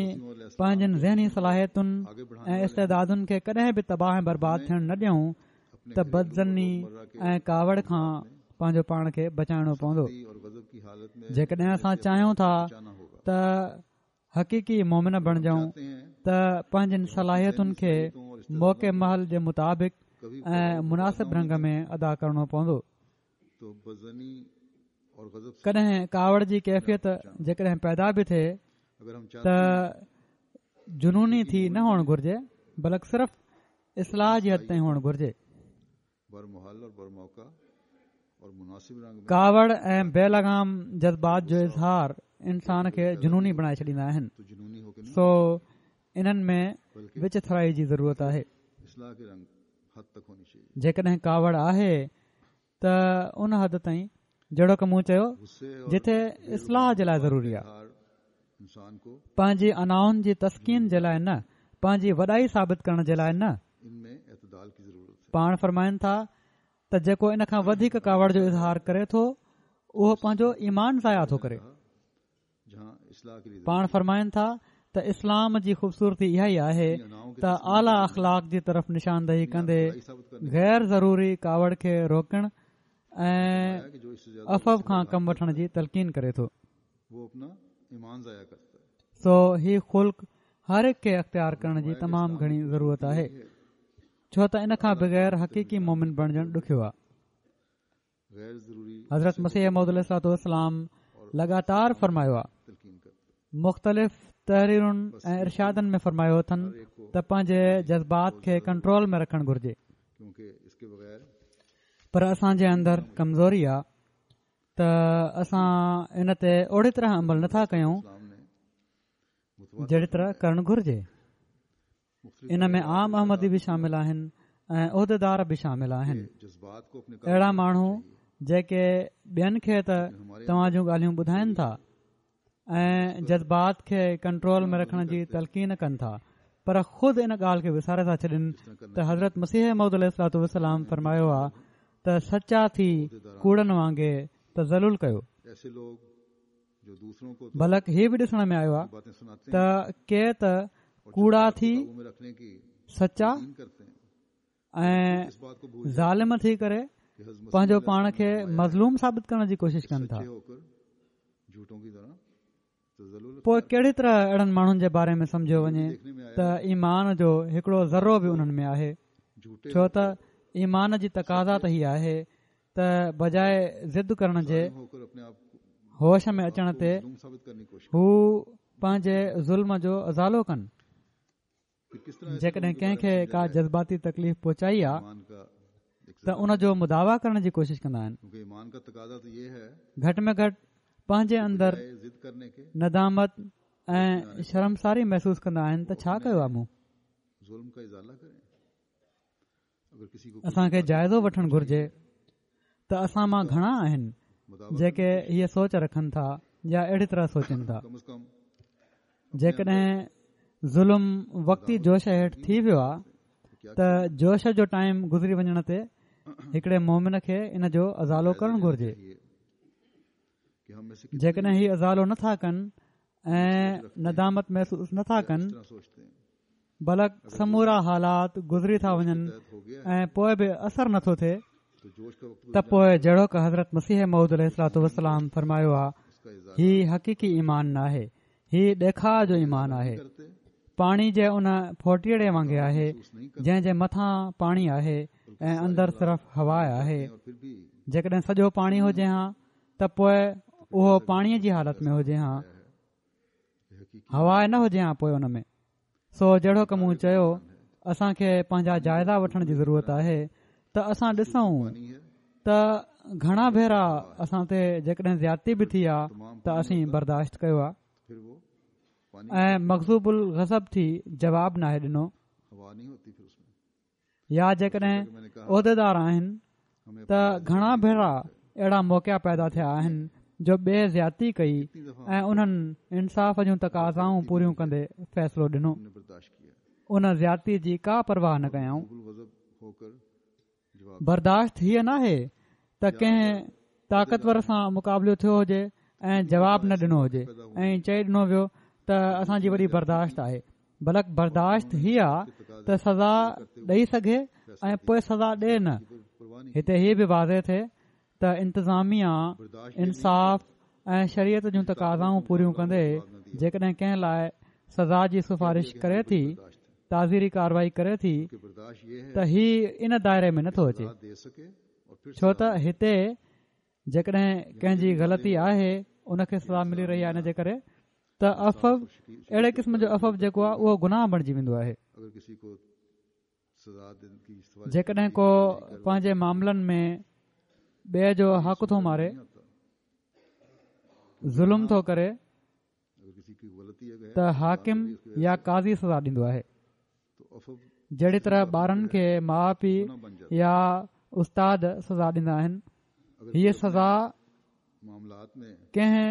پنهنجن ذهني صلاحيتن ۽ استعدادن کي ڪڏهن به تباهه ۽ برباد ٿيڻ نه ڏيون ته بدظني ۽ ڪاوڙ کان پنهنجو پاڻ کي بچائڻو پوندو. جيڪڏهن اسان چاهيون ٿا ته حقيقي مومن بڻجون ته پنهنجن صلاحيتن کي موقعي محل جي مطابق ۽ مناسب رنگ ۾ ادا ڪرڻو پوندو. ڪڏهن ڪاوڙ جي ڪيفيت جيڪڏهن پيدا به ٿئي ته جنوني ٿي نه هئڻ گهرجي، بلڪ صرف اصلاح جي حد تائين هئڻ گهرجي. ڪاوڙ ۽ بي لگام جذبات جو اظهار انسان کي جنوني بڻائي ڇڏيندا آهن، سو انهن ۾ وچ ٿرائي جي ضرورت آهي. جيڪڏهن ڪاوڙ آهي ته ان حد تائين جهڙوڪ مون چيو جتي اصلاح جي لاءِ ضروري آهي، پنهنجي انائن جي تسڪين جي لاءِ نه، پنهنجي وڏائي ثابت ڪرڻ جي لاءِ نه. پاڻ فرمائن ٿا ته جيڪو ان کان وڌيڪ ڪاوڙ جو اظهار ڪري ٿو اهو پنهنجو ايمان ضايع ٿو ڪري. پاڻ فرمائن ٿا ته اسلام جي خوبصورتي اها ئي آهي ته اعليٰ اخلاق جي طرف نشاندهي ڪندي غير ضروري ڪاوڙ کي روڪڻ ۽ عفو کان ڪم وٺڻ جي تلقين ڪري ٿو. سو هي خلق هر هڪ کي اختيار ڪرڻ جي تمام گهڻي ضرورت آهي، ڇو ته ان کان بغير حقيقي مومن بڻجڻ ڏکيو آهي. حضرت مسيح موعود عليه الصلوة والسلام لڳاتار فرمايو آهي، مختلف تحريرن ۽ ارشادن ۾ فرمايو اٿن ته پنهنجي جذبات کي ڪنٽرول ۾ رکڻ گهرجي، پر اسان جي اندر ڪمزوري آهي ته اسان ان تي اوڙي طرح عمل نٿا ڪيون جهڙي طرح ڪرڻ گهرجي. ان ۾ عام احمدي به شامل آهن ۽ عهديدار به شامل آهن. اهڙا ماڻهو جيڪي ٻين کي ته توهان جون ڳالهيون ٻڌائن ٿا ۽ جذبات کي ڪنٽرول ۾ رکڻ جي تلقين ڪن ٿا، پر خود ان ڳالهه کي وساري ٿا ڇڏن ته حضرت مسيح موعود عليه الصلوة والسلام فرمايو آهي ته سچا ٿي ڪوڙن وانگي تذلل ڪيو. بلڪ هي به ڏسڻ ۾ آيو آهي ته ڪي ته ڪوڙا ٿي سچا ۽ ظالم ٿي ڪري پنهنجو پاڻ کي مظلوم ثابت ڪرڻ جي ڪوشش ڪن ٿا. پوءِ ڪهڙي طرح اهڙن ماڻهن جي باري ۾ سمجهيو وڃي ته ايمان جو هڪڙو ذرو به انهن ۾ آهي؟ ڇو ته ايمان جي تقاضا ته هي آهي ته بجاءِ ضد ڪرڻ جي هوش ۾ اچڻ تي هو پنهنجي ظلم جو ازالو ڪن. جيڪڏهن ڪنهن کي ڪا جذباتي تڪليف پهچائي آ ته ان جو مداوا ڪرڻ جي ڪوشش ڪندا آهن. گهٽ ۾ گهٽ پنهنجي اندر ندامت ۽ شرمساري محسوس ڪندا آهن ته ڇا ڪيو آ مون. اسان کي جائزو وٺڻ گهرجي ته اسان مان گهڻا آهن جيڪي هيءَ سوچ رکن ٿا يا اهڙي طرح سوچن ٿا. جيڪڏهن ظلم وقتي جوش هيٺ ٿي ويو آهي ته جوش جو ٽائيم گذري وڃڻ تي هڪڙي مومن کي ان جو ازالو ڪرڻ گهرجي. جيڪڏهن هي ازالو نٿا ڪن ۽ ندامت محسوس نٿا ڪن، بلڪ سمورا حالات گذري ٿا وڃن ۽ پوءِ به اثر نٿو ٿئي، ته پوءِ جهڙوڪ حضرت مسيح موعود عليه الصلوة والسلام فرمايو آهي، هي حقيقي ايمان ناهي، هي ڏيکاءُ جو ايمان آهي. پاڻي جي ان ڦوٽيڙي وانگي آهي جنهن جي مٿان پاڻي آهي ۽ اندر صرف هوا آهي. جيڪڏهن سڄو پاڻي هجي ها ته پوءِ اهو پاڻيءَ جي حالت ۾ هجي ها، هوا نه هجي ها پوءِ ان ۾. سو جهڙوڪ مون چيو، اسان کي پنهنجا جائزا وٺڻ جي ضرورت آهي ته اسان ڏسون ته گهڻا ڀيرا اسان تي جيڪڏهن زيادتي به ٿي آهي ته اسين برداشت ڪيو آهي ۽ مغضوب الغضب ٿي جواب ناهي ڏنو. يا جيڪڏهن عهديدار آهن ته گهڻا ڀيرا اهڙا موقعا پيدا ٿيا آهن جو ٻئي زيادتي ڪئي ۽ انهن انصاف جون تقاضائون پوريون ڪندي فيصلو ڏنو، ان زيادتي جي ڪا پرواهه نه ڪيائون. برداشت هيءَ ناهي ته ڪنهن طاقتور سان مقابلو ٿيو هجي ۽ جواب نه ڏنو هجي ۽ چئي ڏنو ويو ته اسان جي وڏي برداشت آهي، بلڪ برداشت هيءَ آهي ته سزا ڏئي سگهي ۽ پوءِ سزا ڏئي نه. هتي هيءَ به واضح ٿئي ته انتظاميا انصاف ۽ شريعت جون تقاضائون پوريون ڪندي جيڪڏهن ڪنهن لاءِ سزا جي سفارش ڪري ٿي، تعزيري ڪارروائي ڪري ٿي، ته هي ان دائري ۾ نٿو اچي، ڇو ته هتي جيڪڏهن ڪنهن جي غلطي آهي ان کي سزا ملي رهي آهي ان جي ڪري ته عفو، اهڙي قسم جو عفو جيڪو آهي اهو گناهه بڻجي ويندو آهي. جيڪڏهن ڪو پنهنجي معاملن ۾ ٻئي جو حق ٿو ماري، ظلم ٿو ڪري، ته حاڪم يا قاضي سزا ڏيندو آهي. جهڙي طرح ٻارن کي ماءُ پيءُ يا استاد سزا ڏيندا آهن، هيءَ سزا ڪنهن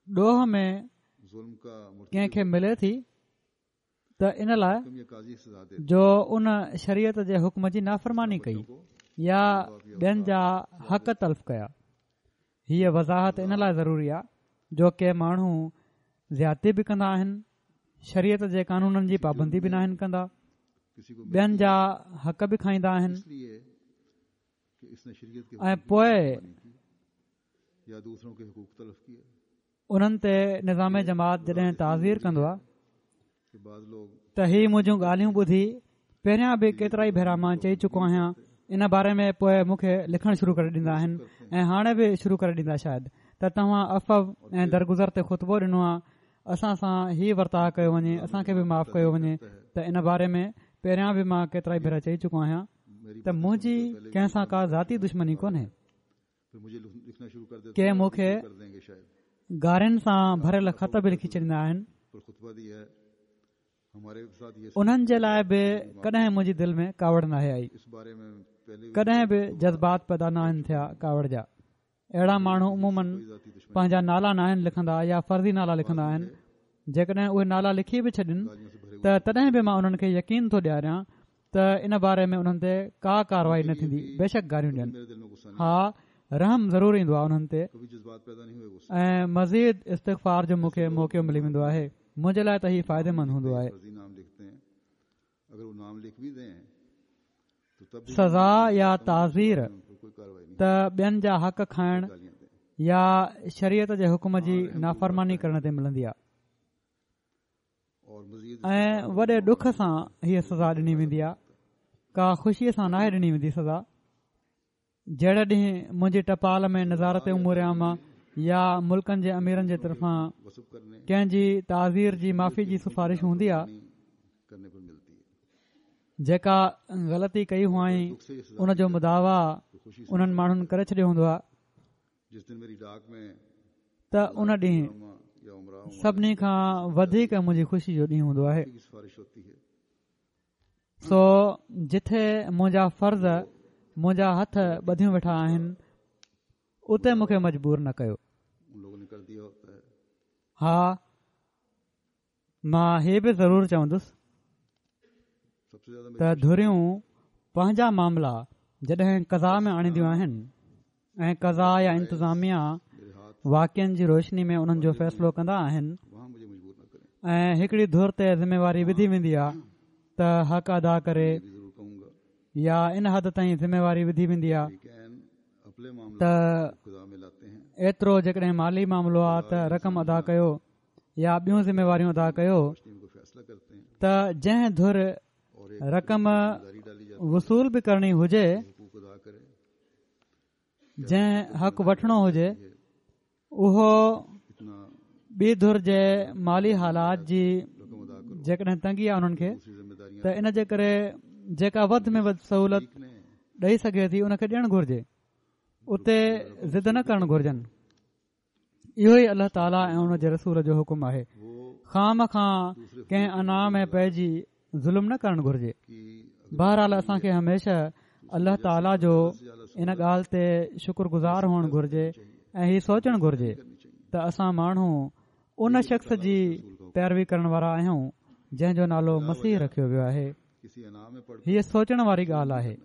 ڏوهه ۾ ڪنهن کي ملي ٿي ته ان لاءِ جو ان شريعت جي حڪم جي نافرماني ڪئي يا ٻين جا حق تلف ڪيا. هيءَ وضاحت ان لاءِ ضروري آهي جو ڪي ماڻهو زيادتي به ڪندا آهن، شريعت جي قانونن جي پابندي به ناهن ڪندا، ٻين جا حق به کائيندا آهن ۽ پوءِ انهن تي نظام جماعت جڏهن تعزير ڪندو آهي ته هي منهنجون ڳالهيون ٻڌي پهريان به ڪيترا ئي ڀيرا مان چئي چڪو آهيان ان باري ۾ پوءِ مون کي لکڻ شروع ڪري ڏيندا آهن ۽ هاڻي به شروع ڪري ڏيندا شايد ته توهان عفو ۽ درگذر تي خطبو ڏنو آهي، اسان سان هي ورتاءُ ڪيو وڃي، اسان کي به معاف ڪيو وڃي. ته ان باري ۾ پهريان به مان ڪيترا ئي ڀيرا چئي چڪو آهيان ته منهنجي ڪنهن سان ڪا ذاتي دشمني ڪونهي. ڪي مون کي گارين سان ڀريل خط به لکي ڇڏيندا آهن، انهن جي لاءِ به ڪڏهن منهنجي دل ۾ ڪاوڙ ناهي آئي، ڪڏهن به جذبات پيدا ناهن ٿيا ڪاوڙ جا. اهڙا ماڻهو عموماً پنهنجا نالا ناهن لکندا يا فرضي نالا لکندا آهن. جيڪڏهن اهي نالا لکي به ڇڏين ته تڏهن به مان انهن کي يقين ٿو ڏياريان ته ان باري ۾ انهن تي ڪا ڪارروائي نه ٿيندي، بيشڪ گاريون ڏين. ها، رحم ضرور ايندو آهي انهن تي ۽ مزيد استغفار جو مون کي موقعو ملي ويندو آهي. منهنجي لاءِ ته هي فائديمند هوندو آهي. سزا يا تعزير ته ٻين جا حق کائڻ يا شريعت جي حڪم جي نافرماني ڪرڻ تي ملندي آهي ۽ وڏي ڏک سان هيءَ سزا ڏني ويندي آهي، ڪا خوشيءَ سان ناهي ڏني ويندي سزا. جهڙي ڏينهن منهنجي ٽپال ۾ نظارت امور عامه يا ملڪن جي اميرن جي طرفان ڪنهن جي تعزير جي معافي جي سفارش هوندي آهي، جيڪا غلطي ڪئي هئائين ان جو مداوا انهن ماڻهن ڪري ڇڏيو هوندو آهي، ته ان ڏينهن سڀني کان وڌيڪ منهنجي خوشي جو ڏينهن هوندو آهي. سو جٿي منهنجا فرض منهنجا هٿ ٻڌيون ويٺا آهن اتي مون کي مجبور نه ڪيو. ها، مان هي به ضرور چوندس ته ڌريون پنهنجا معاملا جڏهن قضا ۾ آڻينديون آهن ۽ قضا يا انتظاميا واقعن جي روشني ۾ انهن جو فيصلو ڪندا آهن ۽ هڪڙي ڌر تي ذميواري وڌي ويندي آهي ته حق ادا ڪري يا ان حد تائين ذميواري وڌي ويندي آهي ته ايترو جيڪڏهن مالي معاملو آهي ته رقم ادا ڪيو يا ٻيون ذميواريون ادا ڪيو، ته جنهن ڌر رقم وصول به ڪرڻي هجي، جنهن حق وٺڻو هجي، اهو ٻي ڌر جي مالي حالات جي جيڪڏهن تنگي آهي انهن کي ته ان جي ڪري جيڪا وڌ ۾ وڌ سهولت ڏئي سگهي ٿي ان کي ڏيڻ گهرجي، اتي ضد نه ڪرڻ گهرجن. اهو ئي الله تعاليٰ ۽ ان جي رسول جو حڪم آهي. خام کان ڪنهن انا ۾ پئجي ظلم نه ڪرڻ گهرجي. بهرحال اسان کي هميشه الله تعاليٰ جو ان ڳالهه تي شڪر گذار هئڻ گهرجي ۽ هي سوچڻ گهرجي ته اسان ماڻهو ان شخص جي پيروي ڪرڻ وارا آهيون جنهن جو نالو مسيح رکيو ويو آهي. هيءَ سوچڻ واري ڳالهه آهي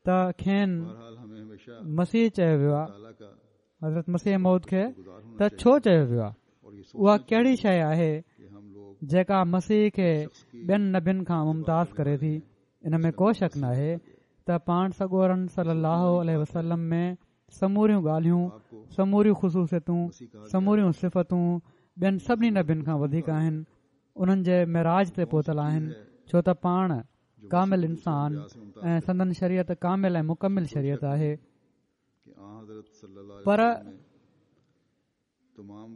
ته کين مسيح چيو ويو آهي، حضرت مسيح موعود کي ته ڇو چيو ويو آهي؟ اها ڪهڙي شيءِ آهي جيڪا مسيح کي ٻين نبين کان ممتاز ڪري ٿي؟ ان ۾ ڪو شڪ ناهي ته پاڻ سڳورن صلي الله عليه وسلم ۾ سموريون ڳالهيون، سموريون خصوصيتون، سموريون صفتون ٻين سڀني نبين کان وڌيڪ آهن، انهن جي معراج تي پهتل آهن، ڇو ته پاڻ ڪامل انسان ۽ سندن شريعت ڪامل ۽ مڪمل شريعت آهي. پر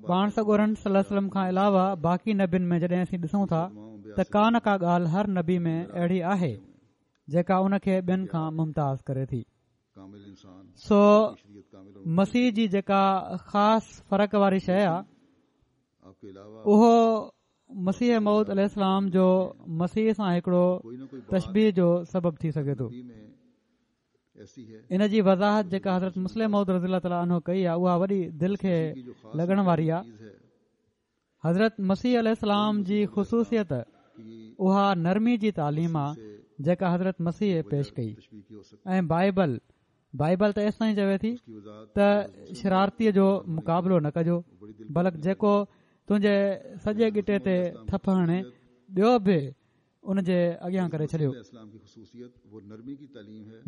پاڻ سڳورن صلي الله عليه وسلم کان علاوه باقي نبين ۾ جڏهن اسين ڏسون ٿا ته ڪا نه ڪا ڳالهه هر نبي ۾ اهڙي آهي جيڪا ان کي ٻين کان ممتاز ڪري ٿي. سو مسيح جي جيڪا خاص فرق واري شيءِ آهي اهو مسيح موعود عليه السلام جو مسيح سان هڪڙو تشبيهه جو سبب ٿي سگهي ٿو. ان جي وضاحت جيڪا حضرت مصلح موعود رضي الله تعاليٰ عنه ڪئي آهي اها وڏي دل کي لڳڻ واري آهي. حضرت مسيح عليه السلام جي خصوصيت اها نرمي جي تعليم آهي جيڪا حضرت مسيح پيش ڪئي. ۽ بائبل بائبل ته ايستائين چوي ٿي ته شرارتيءَ جو مقابلو نه ڪجو، بلڪ جيڪو تنهنجي سڄي ڳٽي تي ٿڦ هڻي ٻيو به ان جي اڳيان ڪري ڇڏيو.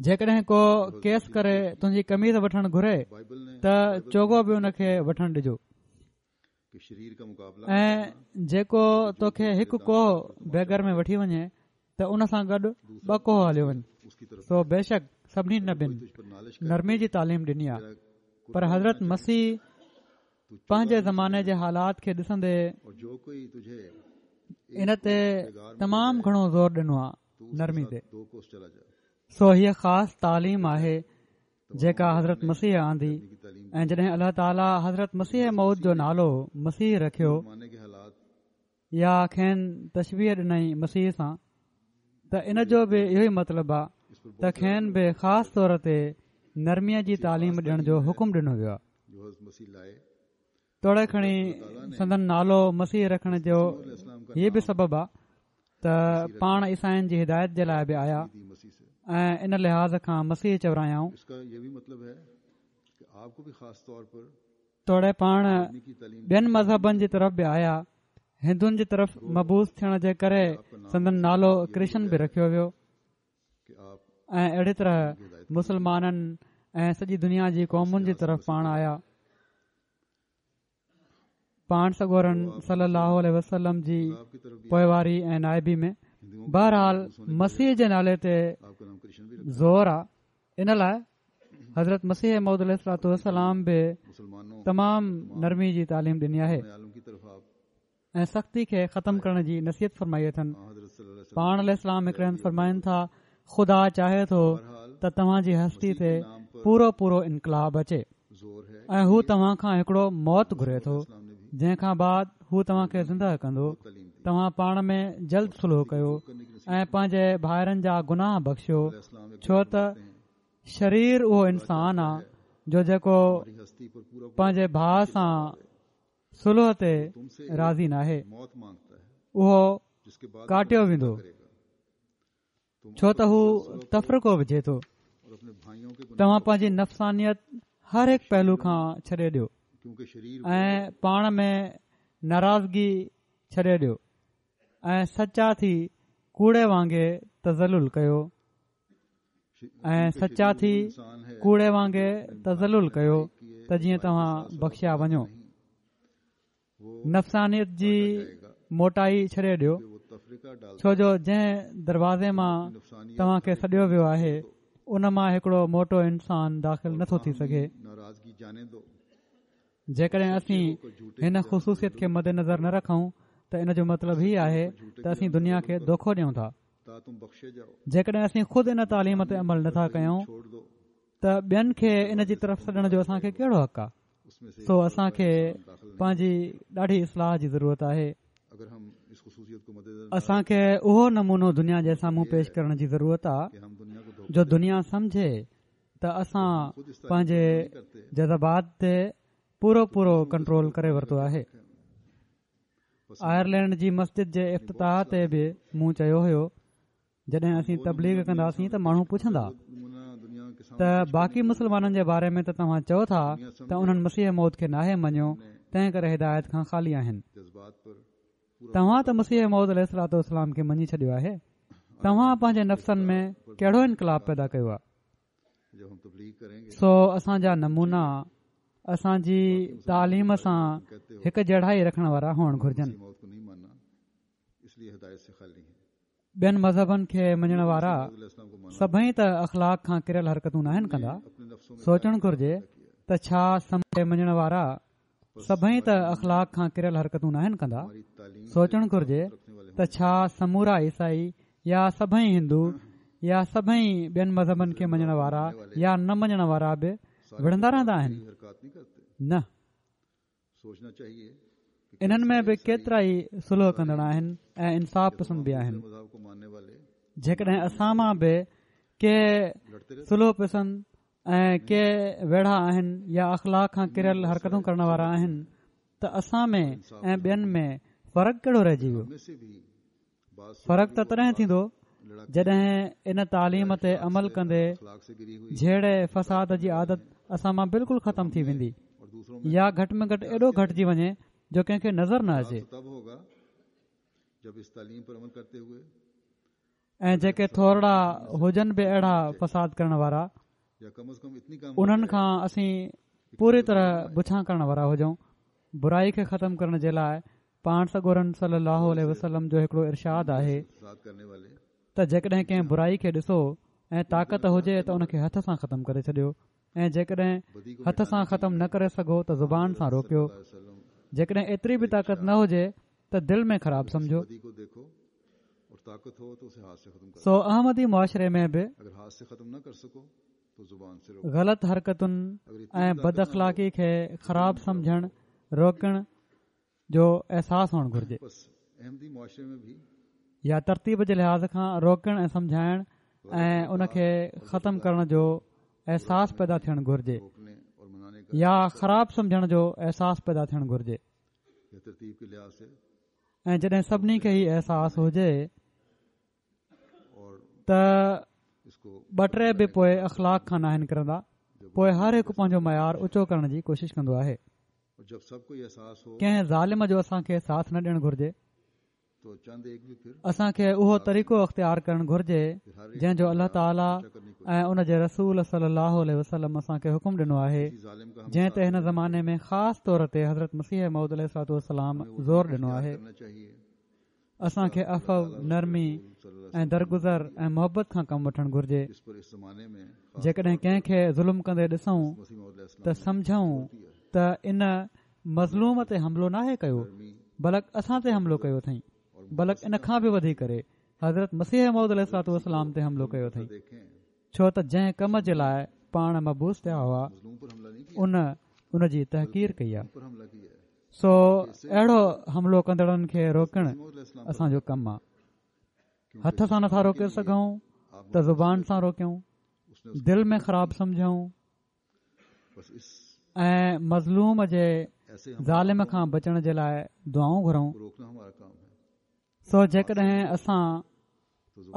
جيڪڏهن ڪو ڪيس ڪري تنهنجي قميص وٺڻ گهري ته چوغو به ان کي وٺڻ ڏجو. ۽ جيڪو توکي هڪ ڪوهه بيگر ۾ وٺي وڃي ته ان سان گڏ ٻه ڪوهه هليو وڃ. سو بيشڪ سڀني نبين نرمي جي تعليم ڏني آهي، پر حضرت مسيح پنهنجي زماني جي حالات کي ڏسندي ان تي تمام گهڻو زور ڏنو آهي نرمي تي. سو هيء خاص تعليم آهي جيڪا حضرت مسيح آندي. ۽ جڏهن الله تعاليٰ حضرت مسيح موعود جو نالو مسيح رکيو يا کين تشبيهه ڏنائين مسيح سان، ته ان جو به اهو ئي مطلب آهي ته کين به خاص طور تي نرميءَ جي تعليم ڏيڻ جو حڪم ڏنو ويو آهي. توڙي کڻي سندن نالو مسيح رکڻ جو هيء به سبب آهي ته پاڻ عيسائين جي هدايت جي لاءِ به آيا ۽ ان لحاظ کان مسيح چورايائون. توڙي پاڻ ٻين مذهبن جي طرف به آيا، هندن جي طرف مبعوث ٿيڻ جي ڪري سندن نالو ڪرشن به رکيو ويو ۽ اهڙي طرح مسلمانن ۽ سڄي دنيا جي قومن جي طرف پاڻ آيا. پاڻ سڳورن صلي الله عليه وسلم جي پوئواري ۽ نائبي ۾ بهرحال مسيح جي نالي تي زور آ، ان لاءِ حضرت مسيح موعود عليه الصلوة والسلام به تمام نرمي جي تعليم ڏني آهي ۽ سختي کي ختم ڪرڻ جي نصيحت فرمائي اٿن. پاڻ عليه السلام هڪڙي هنڌ فرمائن ٿا، خدا چاهي ٿو ته توهان جي هستي تي پورو پورو انقلاب اچي ۽ هو توهان کان هڪڙو موت گهري ٿو، جنهن کان بعد هو توهان کي زنده ڪندو. توهان پاڻ ۾ جلد صلح ڪيو ۽ پنهنجي ڀائرن جا گناهه بخشيو، ڇو ته شرير اهو انسان آ جو جيڪو پنهنجي ڀاءُ سان صلح تي راضي ناهي، اهو ڪاٽيو ويندو، ڇو ته هو تفرقو وجهي ٿو. توهان پنهنجي نفسانيت هر هڪ پهلو کان ڇڏي ڏيو ۽ پاڻ ۾ ناراضگي ڇڏي ڏيو ۽ سچا ٿي ڪوڙي وانگي تذلل ڪيو ۽ سچا ٿي ڪوڙي وانگي تذلل ڪيو ته جيئن توهان بخشيا وڃو. نفسانيت جي موٽائي ڇڏي ڏيو، ڇو جو جنهن دروازي مان توهان کي سڏيو ويو آهي ان مان هڪڙو موٽو انسان داخل نٿو ٿي سگهي. جيڪڏهن اسين هن خصوصيت کي مد نظر نه رکون ته ان جو مطلب هي آهي ته اسين دنيا کي دوکو ڏيون ٿا. جيڪڏهن اسين خود ان تعليم تي عمل نٿا ڪيون ته ٻين کي ان جي طرف سڏڻ جو اسان کي ڪهڙو حق آهي؟ سو اسان کي پنهنجي ڏاڍي اصلاح جي ضرورت آهي. اسان کي اهو نمونو دنيا جي سامهون پيش ڪرڻ جي ضرورت آهي جو دنيا سمجهي ته اسان پنهنجي جذبات تي پورو پورو ڪنٽرول ڪري ورتو آهي. آئرلينڊ جي مسجد جي افتتاح تي به مون چيو هيو، جڏهن اسين تبليغ ڪنداسين ته ماڻهو پڇندا ته باقي مسلمانن جي باري ۾ ته توهان چئو ٿا ته انهن مسيح موعود کي ناهي مڃيو، تنهن ڪري هدايت کان خالي آهن. توهان ته مسيح موعود عليه الصلوة والسلام کي مڃي ڇڏيو آهي، توهان پنهنجي نفسن ۾ ڪهڙو انقلاب پيدا ڪيو آهي؟ سو اسان جا نمونا اسان جي تعليم سان هڪ جهڙائي رکڻ وارا هئڻ گهرجن. ٻين مذهبن کي مڃڻ وارا سڀئي ته اخلاق کان ڪريل حرڪتون ناهن ڪندا. سوچڻ گهرجي ته ڇا سمجهه مڃڻ وارا سڀئي ته اخلاق کان ڪريل حرڪتون ناهن ڪندا. سوچڻ گهرجي ته ڇا سمورا عيسائي يا سڀئي هندو يا سڀئي ٻين مذهبن کي مڃڻ وارا يا نه مڃڻ وارا به وڙهندا رهندا آهن؟ نه، انهن ۾ به ڪيترا ئي صلح ڪندڙ آهن ۽ انصاف پسند به آهن. جيڪڏهن اسان مان به ڪي صلح پسند ۽ ڪي ويڙها آهن يا اخلاق کان ڪريل حرڪتون ڪرڻ وارا آهن ته اسان ۾ ۽ ٻين ۾ فرق ڪهڙو رهجي ويو؟ فرق ته تڏهن ٿيندو جڏهن ان تعليم تي عمل ڪندي جهيڙي فساد جي عادت اسان مان بلڪل ختم ٿي ويندي يا گهٽ ۾ گهٽ ايڏو گهٽجي وڃي جو ڪنهن کي نظر نه اچي. ۽ جيڪي ٿورڙا هجن به اهڙا فساد ڪرڻ وارا، انهن کان اسين پوري طرح بڇان ڪرڻ وارا هجون. برائي کي ختم ڪرڻ جي لاءِ پاڻ سڳورن صلي الله عليه وسلم جو هڪڙو ارشاد آهي ته جيڪڏهن ڪنهن برائي کي ڏسو ۽ طاقت هجي ته ان کي هٿ سان ختم ڪري ڇڏيو، ۽ جيڪڏهن هٿ سان ختم نه ڪري سگهو ته زبان سان روڪيو، جيڪڏهن ايتري به طاقت نه هجي ته دل ۾ خراب سمجهو. سو احمدي معاشري ۾ به غلط حرڪتن ۽ بد اخلاقي کي خراب سمجهڻ روڪڻ جو احساس هئڻ گهرجي، يا ترتيب جي لحاظ کان روڪڻ ۽ سمجهائڻ ۽ ان کي ختم ڪرڻ جو احساس پيدا ٿيڻ گهرجي، يا خراب سمجهڻ جو احساس پيدا ٿيڻ گهرجي. ۽ جڏهن سڀني کي هي احساس هجي ته ٻه ٽي به پوءِ اخلاق کان ناهن ڪرندا، پوءِ هر هڪ پنهنجو معيار اوچو ڪرڻ جي ڪوشش ڪندو آهي. ڪنهن ظالم جو اسان کي ساٿ نه ڏيڻ گهرجي، اسان کي اهو طريقو اختيار ڪرڻ گهرجي جنهن جو الله تعاليٰ ۽ ان جي رسول صلي الله عليه وسلم اسان کي حڪم ڏنو آهي، جنهن تي هن زماني ۾ خاص طور تي حضرت مسيح موعود عليه الصلوة والسلام زور ڏنو آهي. اسان کي عفو، نرمي ۽ درگذر ۽ محبت کان ڪم وٺڻ گهرجي. جيڪڏهن ڪنهن کي ظلم ڪندي ڏسون ته سمجهون ته ان مظلوم تي حملو ناهي ڪيو، بلڪ اسان تي حملو ڪيو اٿئي، بلڪ ان کان به وڌي ڪري حضرت مسيح موعود عليه الصلوة والسلام تي حملو ڪيو اٿئي، ڇو ته جنهن ڪم جي لاءِ پاڻ مبعوث ٿيا هئا ان ان جي تحقير ڪئي آهي. سو اهڙو حملو ڪندڙن کي روڪڻ اسان جو ڪم آهي. هٿ سان نٿا روڪي سگهون ته زبان سان روڪيون، دل ۾ خراب سمجهون ۽ مظلوم جي ظالم کان بچڻ جي لاءِ دعائون گهرون. سو جيڪڏهن اسان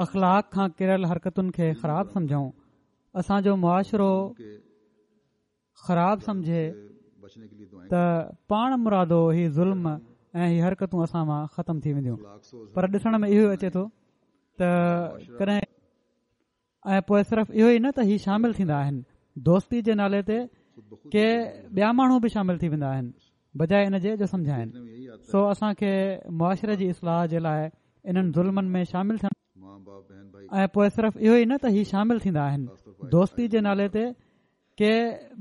اخلاق کان ڪريل حرڪتن کي خراب سمجهون، اسان جو معاشرو خراب سمجهي ته پاڻ مرادو هي ظلم ۽ هي حرڪتون اسان مان ختم ٿي وينديون. پر ڏسڻ ۾ اهو اچي ٿو ته ڪڏهن ۽ پوءِ صرف اهو ئي نه ته هي شامل ٿيندا آهن، دوستي جي نالي تي ڪي ٻيا ماڻهو به شامل ٿي ويندا آهن بجاءِ ان جي جو سمجهائن. سو اسان کي معاشري جي اصلاح جي لاءِ انهن ظلمن ۾ شامل ٿيڻ ۽ پوءِ صرف اهو ئي نه ته هي شامل ٿيندا آهن، دوستي جي نالي تي ڪي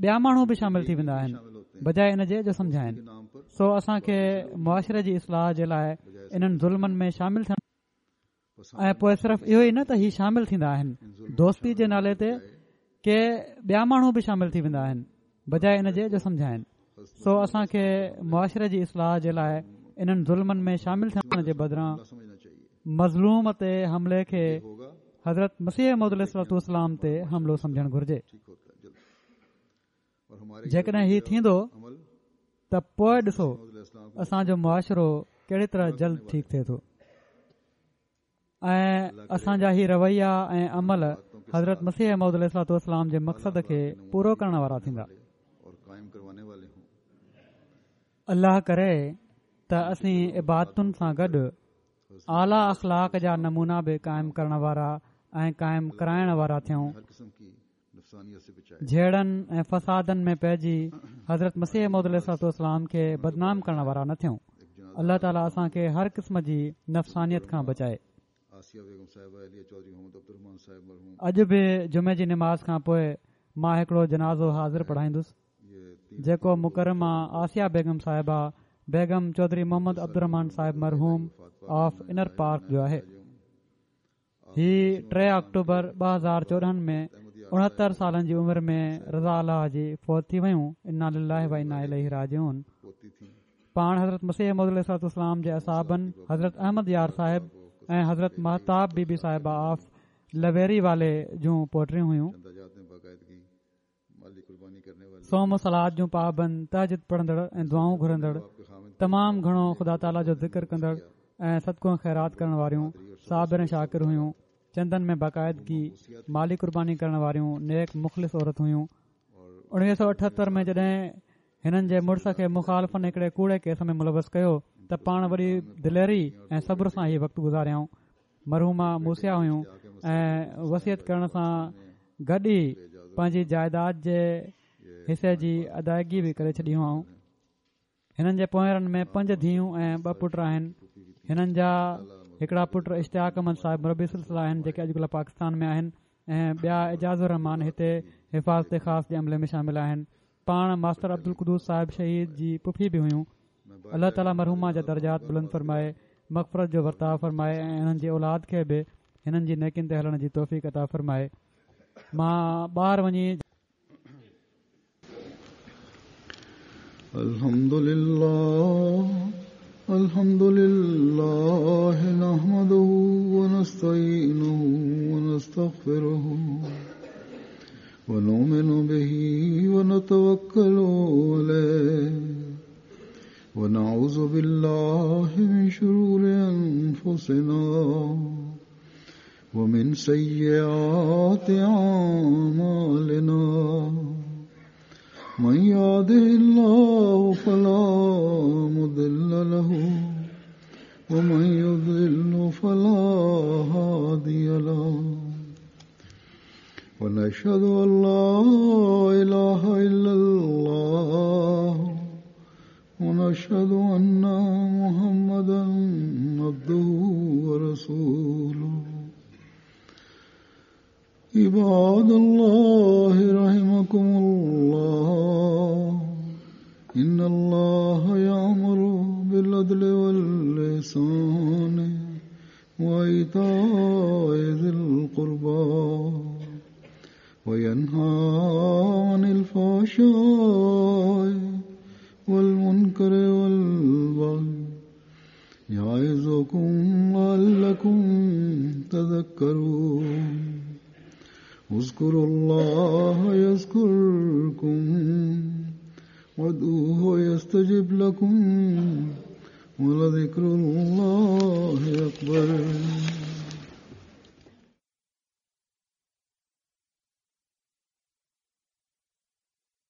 ٻيا ماڻهو به شامل ٿي ويندا آهن بجاءِ ان جي جو سمجهائن. سو اسان کي معاشري جي اصلاح جي لاءِ انهن ظلمن ۾ شامل ٿيڻ ۽ پوءِ صرف اهو ئي نه ته هي شامل ٿيندا آهن، دوستي جي نالي تي ڪي ٻيا ماڻهو به شامل ٿي ويندا آهن بجاءِ ان جي جو سمجهائن. سو اسان کي معاشري جي اصلاح جي لاءِ انهن ظلمن ۾ شامل ٿيڻ جي بدران مظلوم تي حملي کي حضرت مسيح موعود عليه الصلوة والسلام تي حملو سمجهڻ گهرجي. جيڪڏهن هي ٿيندو ته پوءِ ڏسو اسان جو معاشرو ڪهڙي طرح جلد ٺيڪ ٿئي ٿو ۽ اسان جا هي رويا ۽ عمل حضرت مسيح موعود عليه الصلوة والسلام جي مقصد کي پورو ڪرڻ وارا ٿيندا. الله ڪري ته اسين عبادتن سان گڏ اعليٰ اخلاق جا نمونا به قائم ڪرڻ وارا ۽ قائم ڪرائڻ وارا ٿيون. جهيڙن ۽ فسادن ۾ پئجي حضرت مسيح موعود عليه الصلوة والسلام کي بدنام ڪرڻ وارا نه ٿيون. الله تعاليٰ اسان کي هر قسم جي نفسانيت کان بچائي. اڄ به جمعي جي نماز کان پوءِ مان هڪڙو جنازو حاضر پڙهائيندس جيڪو مڪرمه آسيه بيگم صاحبه بيگم چوڌري محمد عبدالرحمان صاحب مرحوم آف انر پارڪ جو آهي. هي ٽي آڪٽوبر ٻه هزار چوڏهن ۾ اڻهتر سالن جي عمر ۾ رضا الله جي فوت ٿي ويون. انا لله و انا اليه راجعون. پاڻ حضرت مسيح موعود عليه الصلوة والسلام جي اصحابن حضرت احمد يار صاحب ۽ حضرت مهتاب بي بي صاحبه آف لويري والي جون پوٽريون هيون. صوم و صلات جون پابند، تهجد پڙهندڙ ۽ دعائون گهرندڙ، تمام گهڻو خدا تعاليٰ جو ذڪر ڪندڙ ۽ صدقو ۽ خيرات ڪرڻ واريون، صابر ۽ شاڪر هيون. چندن ۾ باقاعدگي مالي قرباني ڪرڻ واريون نيڪ مخلص عورت هيون. اڻويهه سؤ اٺهتر ۾ جڏهن هنن جي مڙس کي مخالفن هڪڙي ڪوڙي ڪيس ۾ ملوث ڪيو ته پاڻ وڏي دليري ۽ صبر سان هي وقت گذاريائون. مرحومه موصيه هيون ۽ وصيت ڪرڻ سان گڏ ئي پنهنجي جائيداد جي حصي جي ادائگي به ڪري ڇڏي هئائون. هنن جي پوئرن ۾ پنج ڌيئون ۽ ٻه پٽ آهن. هنن جا هڪڙا پٽ اشتياق احمد صاحب مربي سلسله آهن جيڪي اڄڪلهه پاڪستان ۾ آهن ۽ ٻيا اعجاز الرحمان هتي حفاظت خاص جي عملي ۾ شامل آهن. پاڻ ماستر عبدالقدوس صاحب شهيد جي پڦي به هيون. الله تعاليٰ مرحومه جا درجات بلند فرمائي، مغفرت جو ورتاءُ فرمائي ۽ انهن جي اولاد کي به هنن جي نيڪين تي هلڻ جي توفيق عطا فرمائي. مان ٻاهر وڃي الحمد لله الحمد لله نحمده ونستعينه ونستغفره ونؤمن به ونتوكل عليه ونعوذ بالله من شرور أنفسنا ومن سيئات أعمالنا من يهده الله فلا مضل له ومن يضلل فلا هادي له ونشهد أن لا إله إلا الله ونشهد أن محمدا عبده ورسوله. عباد الله رحمكم الله إن الله يأمر بالعدل والإحسان وإيتاء ذي القربى وينهى عن الفحشاء والمنكر والبغي يعظكم لعلكم تذكرون. اذكروا الله يذكركم وادعوه يستجب لكم ولذكر الله أكبر.